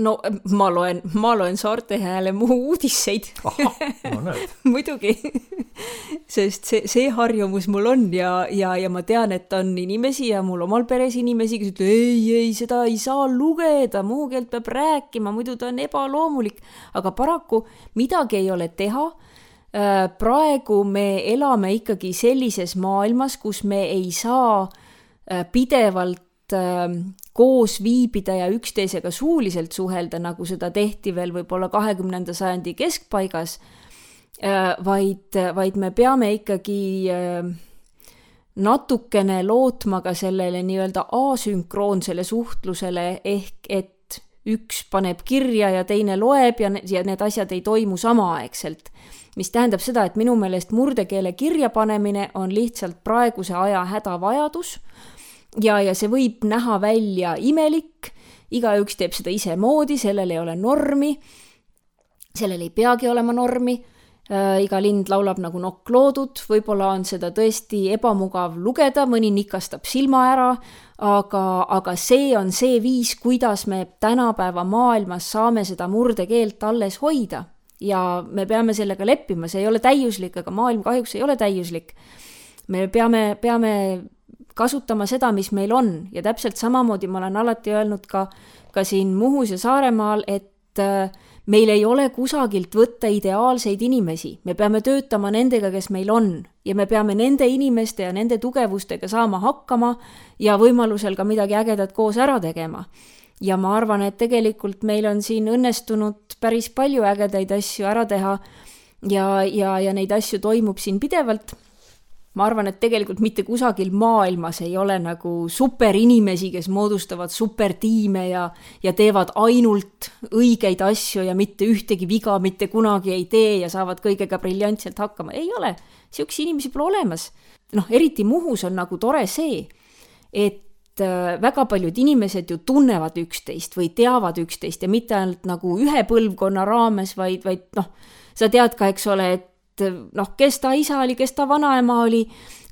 No ma loen Saarte Hääle Muhu uudiseid. Aha, no näed. Muidugi, sest see harjumus mul on ja ma tean, et on inimesi ja mul omal peres inimesi, kes ütlevad, ei, seda ei saa lugeda, Muhu keelt peab rääkima, muidu ta on ebaloomulik. Aga paraku midagi ei ole teha. Praegu me elame ikkagi sellises maailmas, kus me ei saa pidevalt koos viibida ja üksteisega suuliselt suhelda, nagu seda tehti veel võib-olla 20. sajandi keskpaigas, vaid me peame ikkagi natukene lootma ka sellele nii-öelda asünkroonsele suhtlusele, ehk et üks paneb kirja ja teine loeb ja need asjad ei toimu samaaegselt. Mis tähendab seda, et minu meelest murdekeele kirja panemine on lihtsalt praeguse aja hädavajadus, ja see võib näha välja imelik, igaüks teeb seda ise moodi, sellel ei ole normi, sellel ei peagi olema normi, iga lind laulab nagu nokk loodud, võib-olla on seda tõesti ebamugav lugeda, mõni nikastab silma ära, aga see on see viis, kuidas me tänapäeva maailmas saame seda murdekeelt alles hoida ja me peame sellega leppima, see ei ole täiuslik, aga maailm kahjuks ei ole täiuslik. Me peame kasutama seda, mis meil on ja täpselt samamoodi ma olen alati öelnud ka siin Muhus ja Saaremaal, et meil ei ole kusagilt võtta ideaalseid inimesi, me peame töötama nendega, kes meil on ja me peame nende inimeste ja nende tugevustega saama hakkama ja võimalusel ka midagi ägedat koos ära tegema. Ja ma arvan, et tegelikult meil on siin õnnestunud päris palju ägedaid asju ära teha ja neid asju toimub siin pidevalt. Ma arvan, et tegelikult mitte kusagil maailmas ei ole nagu superinimesi, kes moodustavad supertiime ja teevad ainult õigeid asju ja mitte ühtegi viga mitte kunagi ei tee ja saavad kõigega briljantselt hakkama. Ei ole. Siuksi inimesi pole olemas. Eriti Muhus on nagu tore see, et väga paljud inimesed ju tunnevad üksteist või teavad üksteist ja mitte ainult nagu ühe põlvkonna raames, vaid sa tead ka, eks ole, et kes ta isa oli, kes ta vanaema oli,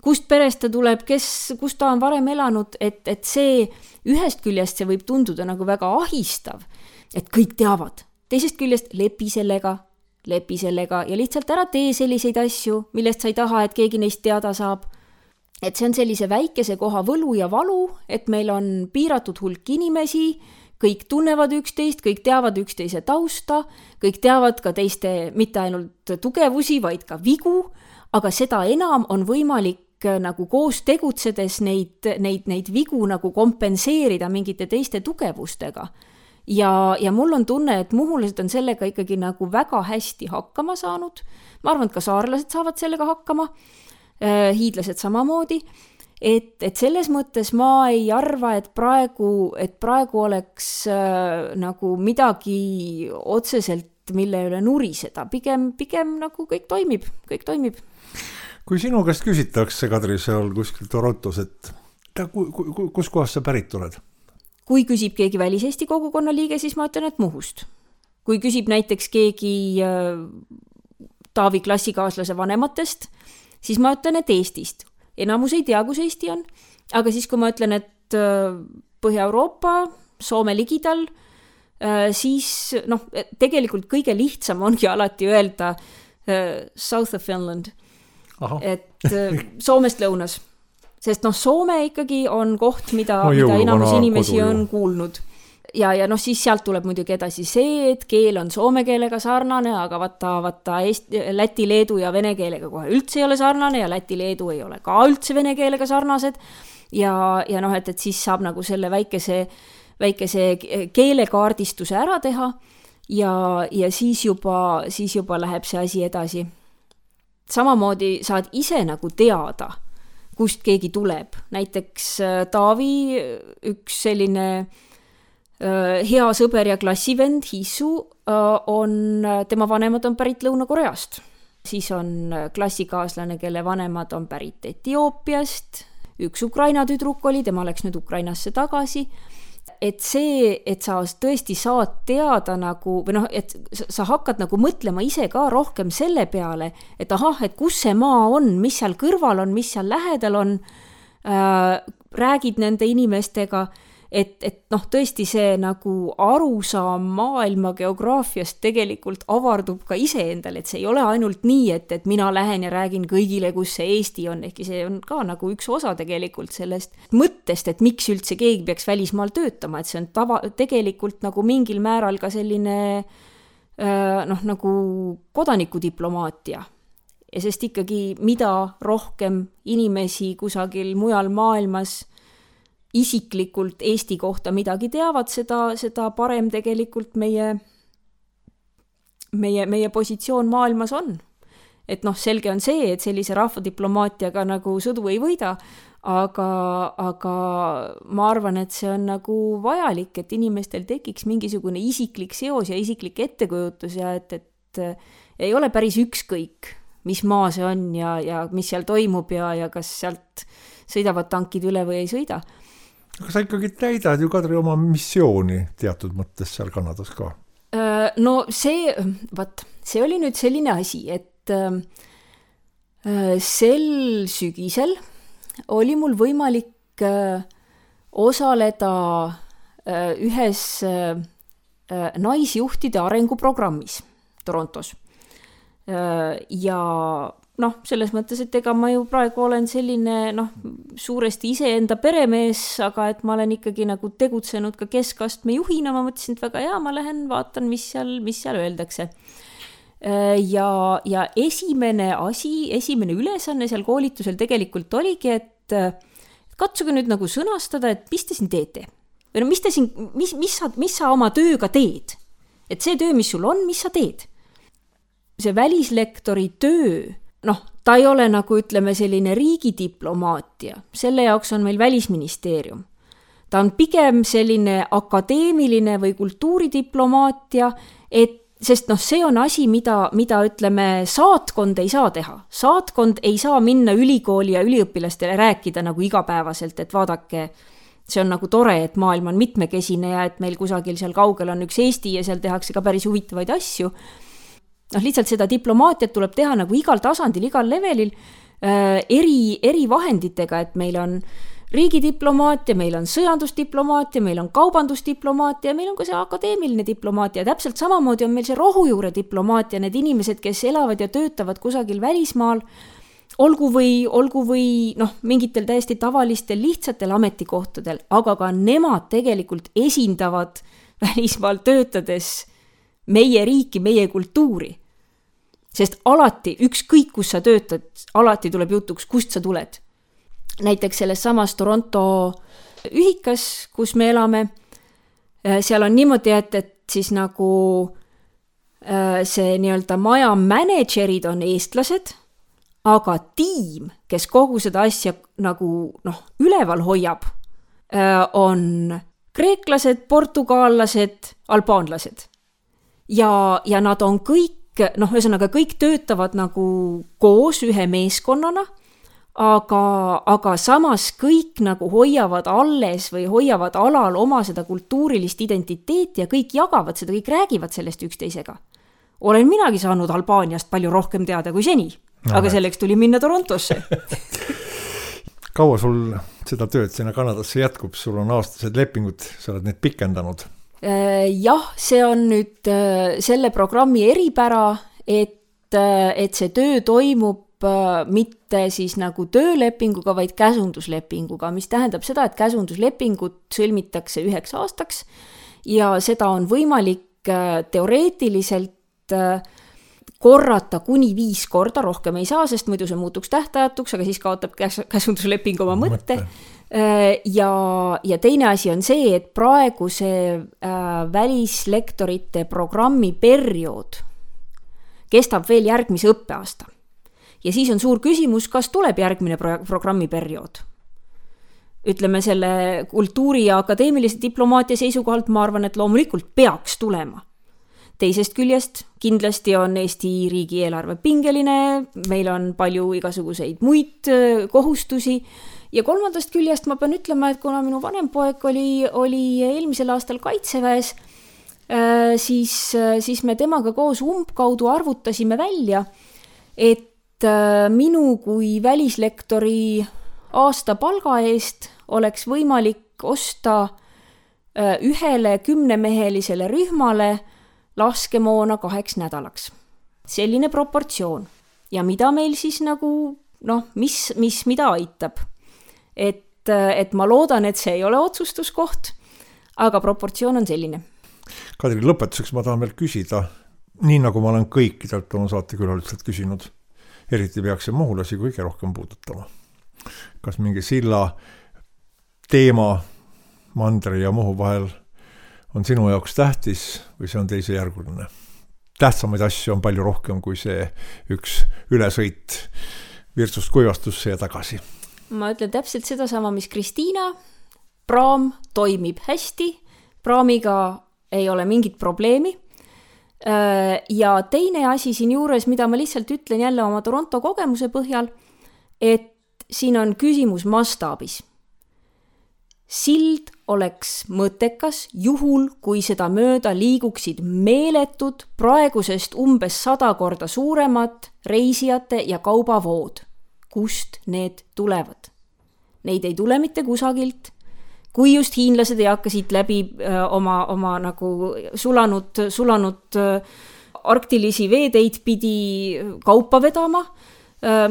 kust perest ta tuleb, kus ta on varem elanud, et see ühest küljest see võib tunduda nagu väga ahistav, et kõik teavad. Teisest küljest lepi sellega ja lihtsalt ära tee selliseid asju, millest sa ei taha, et keegi neist teada saab. Et see on sellise väikese koha võlu ja valu, et meil on piiratud hulk inimesi, kõik tunnevad üksteist, kõik teavad üksteise tausta, kõik teavad ka teiste mitte ainult tugevusi, vaid ka vigu, aga seda enam on võimalik nagu koos tegutsedes neid vigu nagu kompenseerida mingite teiste tugevustega. Ja mul on tunne, et muhulased on sellega ikkagi nagu väga hästi hakkama saanud. Ma arvan, et ka saarlased saavad sellega hakkama, hiidlased samamoodi. Et selles mõttes ma ei arva, et praegu oleks nagu midagi otseselt, mille üle nuriseda. Pigem nagu kõik toimib. Kui sinu käest küsitakse, Kadri, seal kuskil Torontos, et kus kohast sa pärit oled? Kui küsib keegi väliseesti kogukonna liige, siis ma ütlen, et Muhust. Kui küsib näiteks keegi Taavi klassikaaslase vanematest, siis ma ütlen, et Eestist. Enamus ei tea, kus Eesti on, aga siis kui ma ütlen, et Põhja-Euroopa, Soome ligidal, siis tegelikult kõige lihtsam ongi alati öelda South of Finland, et Soomest lõunas, sest Soome ikkagi on koht, mida enamus inimesi on kuulnud. Ja siis sealt tuleb muidugi edasi see, et keel on soome keelega sarnane, aga vaata läti, leedu ja vene keelega kohe üldse ei ole sarnane ja läti, leedu ei ole ka üldse vene keelega sarnased. Ja et siis saab nagu selle väikese keelekaardistuse ära teha. ja siis juba läheb see asi edasi. Samamoodi saad ise nagu teada, kust keegi tuleb. Näiteks Taavi, üks selline hea sõber ja klassivend Hisu, tema vanemad on pärit Lõuna-Koreast. Siis on klassikaaslane, kelle vanemad on pärit Etioopiast, üks Ukraina tüdruk oli, tema läks nüüd Ukrainasse tagasi. Et see, et sa tõesti saad teada nagu, või et sa hakkad nagu mõtlema ise ka rohkem selle peale, et et kus see maa on, mis seal kõrval on, mis seal lähedal on, räägid nende inimestega, et tõesti see nagu arusaam maailma geograafiast tegelikult avardub ka iseendal, et see ei ole ainult nii, et mina lähen ja räägin kõigile, kus see Eesti on, ehkki see on ka nagu üks osa tegelikult sellest mõttest, et miks üldse keegi peaks välismaal töötama, et see on tegelikult nagu mingil määral ka selline nagu kodanikudiplomaatia. Ja sest ikkagi mida rohkem inimesi kusagil mujal maailmas isiklikult Eesti kohta midagi teavad, seda parem tegelikult meie positsioon maailmas on. Et selge on see, et sellise rahvadiplomaatiaga nagu sõdu ei võida, aga ma arvan, et see on nagu vajalik, et inimestel tekiks mingisugune isiklik seos ja isiklik ettekujutus ja et ei ole päris ükskõik, mis maa see on ja mis seal toimub ja kas sealt sõidavad tankid üle või ei sõida. Aga sa ikkagi täidad ju, Kadri, oma missiooni teatud mõttes seal Kanadas ka. No see oli nüüd selline asi, et sel sügisel oli mul võimalik osaleda ühes naisjuhtide arenguprogrammis Torontos. Ja selles mõttes, et ega ma ju praegu olen selline suuresti iseenda peremees, aga et ma olen ikkagi nagu tegutsenud ka keskastme juhina, ma mõtlesin, et väga hea, ma lähen vaatan, mis seal öeldakse. Ja esimene ülesanne seal koolitusel tegelikult oligi, et katsuge nüüd nagu sõnastada, et mis te siin teete? Või mis sa oma tööga teed? Et see töö, mis sul on, mis sa teed? See välislektori töö, ta ei ole nagu ütleme selline riigidiplomaatia, selle jaoks on meil Välisministeerium. Ta on pigem selline akadeemiline või kultuuridiplomaatia, sest see on asi, mida ütleme saatkond ei saa teha. Saatkond ei saa minna ülikooli ja üliõpilastele rääkida nagu igapäevaselt, et vaadake, see on nagu tore, et maailm on mitmekesine ja et meil kusagil seal kaugel on üks Eesti ja seal tehakse ka päris huvitavaid asju. Lihtsalt seda diplomaatiat tuleb teha nagu igal tasandil, igal levelil eri vahenditega, et meil on riigidiplomaatia, meil on sõjandusdiplomaatia, meil on kaubandusdiplomaatia ja meil on ka see akadeemiline diplomaatia. Täpselt samamoodi on meil see rohujuure diplomaatia, need inimesed, kes elavad ja töötavad kusagil välismaal, olgu või mingitel täiesti tavalistel lihtsatel ametikohtadel, aga ka nemad tegelikult esindavad välismaal töötades meie riiki, meie kultuuri. Sest alati, ükskõik kus sa töötad, alati tuleb jutuks, kust sa tuled. Näiteks selles samas Toronto ühikas, kus me elame, seal on niimoodi, et siis nagu see nii-öelda maja managerid on eestlased, aga tiim, kes kogu seda asja nagu üleval hoiab, on kreeklased, portugaallased, albaanlased. Ja nad on kõik, ühesõnaga kõik töötavad nagu koos ühe meeskonnana, aga samas kõik nagu hoiavad alles või hoiavad alal oma seda kultuurilist identiteeti ja kõik jagavad seda, kõik räägivad sellest üksteisega. Olen minagi saanud Albaaniast palju rohkem teada kui seni, aga selleks tuli minna Torontosse. Kaua sul seda tööd sinna Kanadasse jätkub? Sul on aastased lepingud, sa oled neid pikendanud. Jah, see on nüüd selle programmi eripära, et see töö toimub mitte siis nagu töölepinguga, vaid käsunduslepinguga, mis tähendab seda, et käsunduslepingut sõlmitakse 1 aastaks ja seda on võimalik teoreetiliselt korrata kuni 5 korda, rohkem ei saa, sest muidu see muutuks tähtajatuks, aga siis kaotab käsundusleping oma mõtte. Ja teine asi on see, et praegu see välislektorite programmi periood kestab veel järgmise õppeaasta. Ja siis on suur küsimus, kas tuleb järgmine programmi periood. Ütleme selle kultuuri ja akadeemilise diplomaatia seisukohalt ma arvan, et loomulikult peaks tulema. Teisest küljest kindlasti on Eesti riigieelarve pingeline, meil on palju igasuguseid muid kohustusi ja kolmandast küljest ma pean ütlema, et kuna minu vanem poeg oli eelmisel aastal kaitseväes, siis me temaga koos umbkaudu arvutasime välja, et minu kui välislektori aasta palga eest oleks võimalik osta ühele 10-mehelisele rühmale laskemoona 2 nädalaks. Selline proportsioon. Ja mida meil siis nagu, mis mida aitab. Et ma loodan, et see ei ole otsustuskoht, aga proportsioon on selline. Kadri, lõpetuseks ma tahan veel küsida, nii nagu ma olen kõikidelt oma saatekülalistelt küsinud, eriti peaks see Muhulasi kõige rohkem puudutama. Kas mingi silla teema Mandri ja Muhu vahel on sinu jaoks tähtis või see on teisejärguline? Tähtsamaid asju on palju rohkem kui see üks ülesõit Virtsust Kuivastusse ja tagasi. Ma ütlen täpselt sedasama, mis Kristiina. Praam toimib hästi, praamiga ei ole mingit probleemi. Ja teine asi siin juures, mida ma lihtsalt ütlen jälle oma Toronto kogemuse põhjal, et siin on küsimus mastaabis. Sild oleks mõttekas juhul, kui seda mööda liiguksid meeletud, praegusest umbes 100 korda suuremad reisijate ja kaubavood. Kust need tulevad? Neid ei tule mitte kusagilt. Kui just hiinlased ei hakka siit läbi oma nagu sulanud arktilisi veeteid pidi kaupa vedama,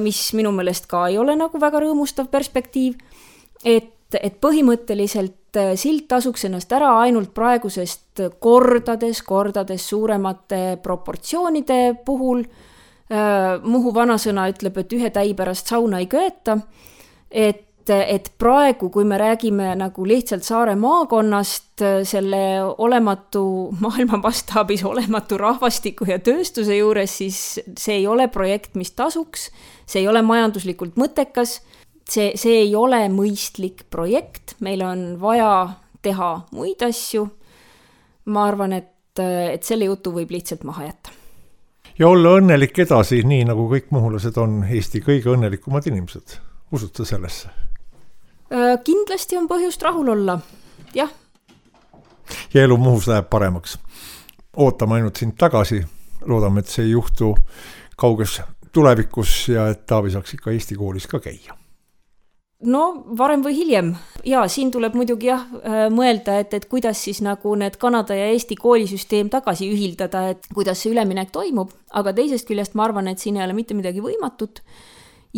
mis minu meelest ka ei ole nagu väga rõõmustav perspektiiv, et põhimõtteliselt sild tasuks ennast ära ainult praegusest kordades suuremate proportsioonide puhul. Muhu vanasõna ütleb, et ühe täi pärast sauna ei köeta, et praegu, kui me räägime nagu lihtsalt Saare maakonnast, selle olematu maailma mastaabis olematu rahvastiku ja tööstuse juures, siis see ei ole projekt, mis tasuks, see ei ole majanduslikult mõttekas, see ei ole mõistlik projekt, meil on vaja teha muid asju. Ma arvan, et selle jutu võib lihtsalt maha jätta. Ja olla õnnelik edasi, nii nagu kõik muhulased on Eesti kõige õnnelikumad inimesed. Usute sellesse? Kindlasti on põhjust rahul olla, jah. Ja elu Muhus läheb paremaks. Ootame ainult sind tagasi. Loodame, et see ei juhtu kauges tulevikus ja et Taavi saaks ikka Eesti koolis ka käia. No varem või hiljem. Ja siin tuleb muidugi mõelda, et kuidas siis nagu need Kanada ja Eesti koolisüsteem tagasi ühildada, et kuidas see üleminek toimub, aga teisest küljest ma arvan, et siin ei ole mitte midagi võimatut.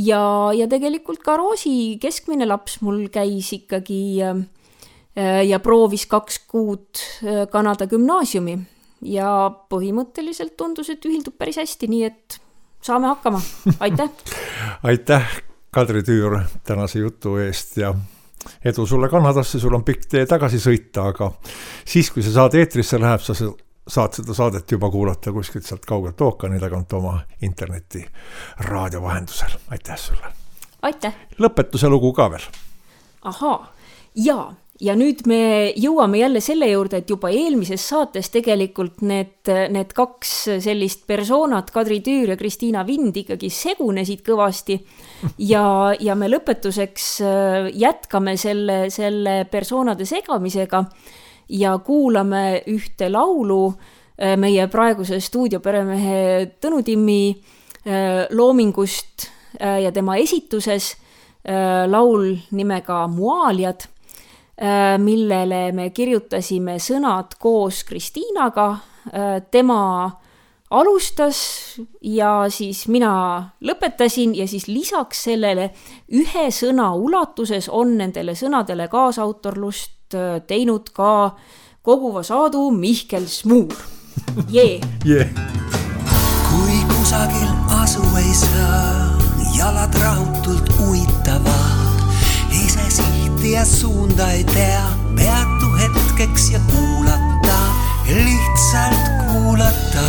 Ja tegelikult ka Roosi keskmine laps mul käis ikkagi ja proovis 2 kuud Kanada gümnaasiumi ja põhimõtteliselt tundus, et ühildub päris hästi, nii et saame hakkama. Aitäh! Aitäh! Kadri Tüür tänase jutu eest ja edu sulle Kanadasse, sul on pikk tee tagasi sõita, aga siis, kui see saade eetrisse läheb, sa saad seda saadet juba kuulata kuskilt sealt kaugelt ookeani tagant oma interneti raadio vahendusel. Aitäh sulle! Aitäh! Lõpetuse lugu ka veel. Ahaa, ja nüüd me jõuame jälle selle juurde, et juba eelmises saates tegelikult need 2 sellist persoonat, Kadri Tüür ja Kristiina Vind ikkagi segunesid kõvasti ja me lõpetuseks jätkame selle persoonade segamisega ja kuulame ühte laulu meie praeguse stuudioperemehe Tõnu Timmi loomingust ja tema esituses laul nimega Muaaljad, millele me kirjutasime sõnad koos Kristiinaga. Tema alustas ja siis mina lõpetasin ja siis lisaks sellele ühe sõna ulatuses on nendele sõnadele kaasautorlust teinud ka Koguva Saadu Mihkel Smuul. Yeah. Kui kusagil asu ei saa, jalad rahutult uitavad, ise sihti ja suunda ei tea, peatu hetkeks ja kuulata, lihtsalt kuulata.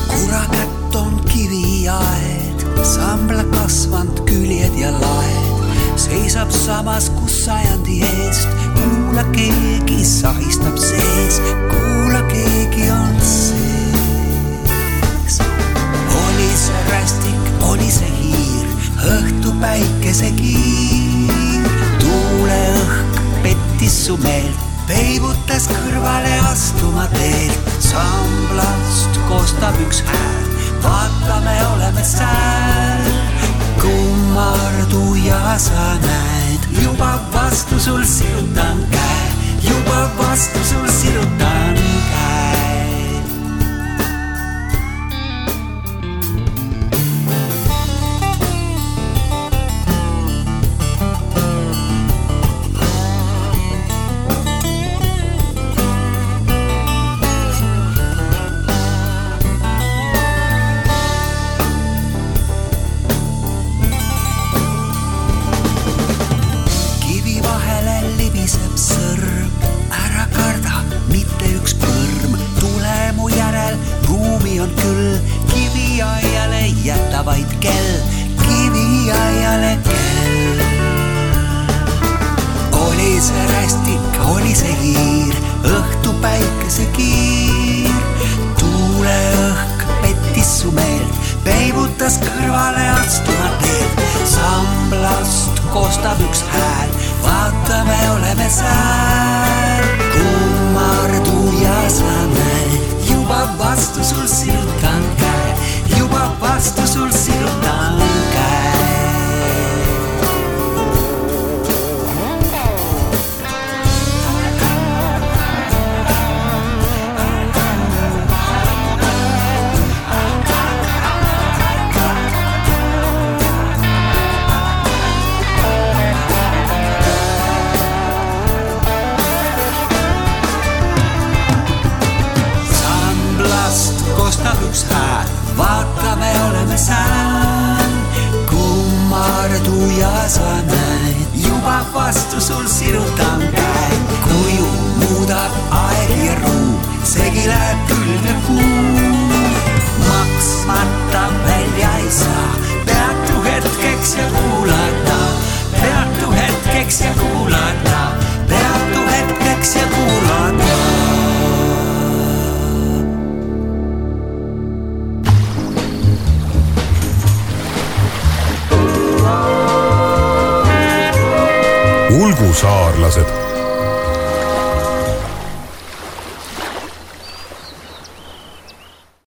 Kurakätt on kiviaed, sambla kasvanud küljed ja laed, seisab samas kus sajandi eest, kuula keegi sahistab sees, kuula keegi on sees. Oli see rästik, oli see hiir, õhtu päikese kiir, tuuleõhk pettis su meelt, peibutas kõrvale astuma teelt, samblast kostab üks hääl, vaata me oleme sääl, kummardu ja sa näed, juba vastu sul sirutan käe, juba vastu sul sirutan käe. Ulgusaarlased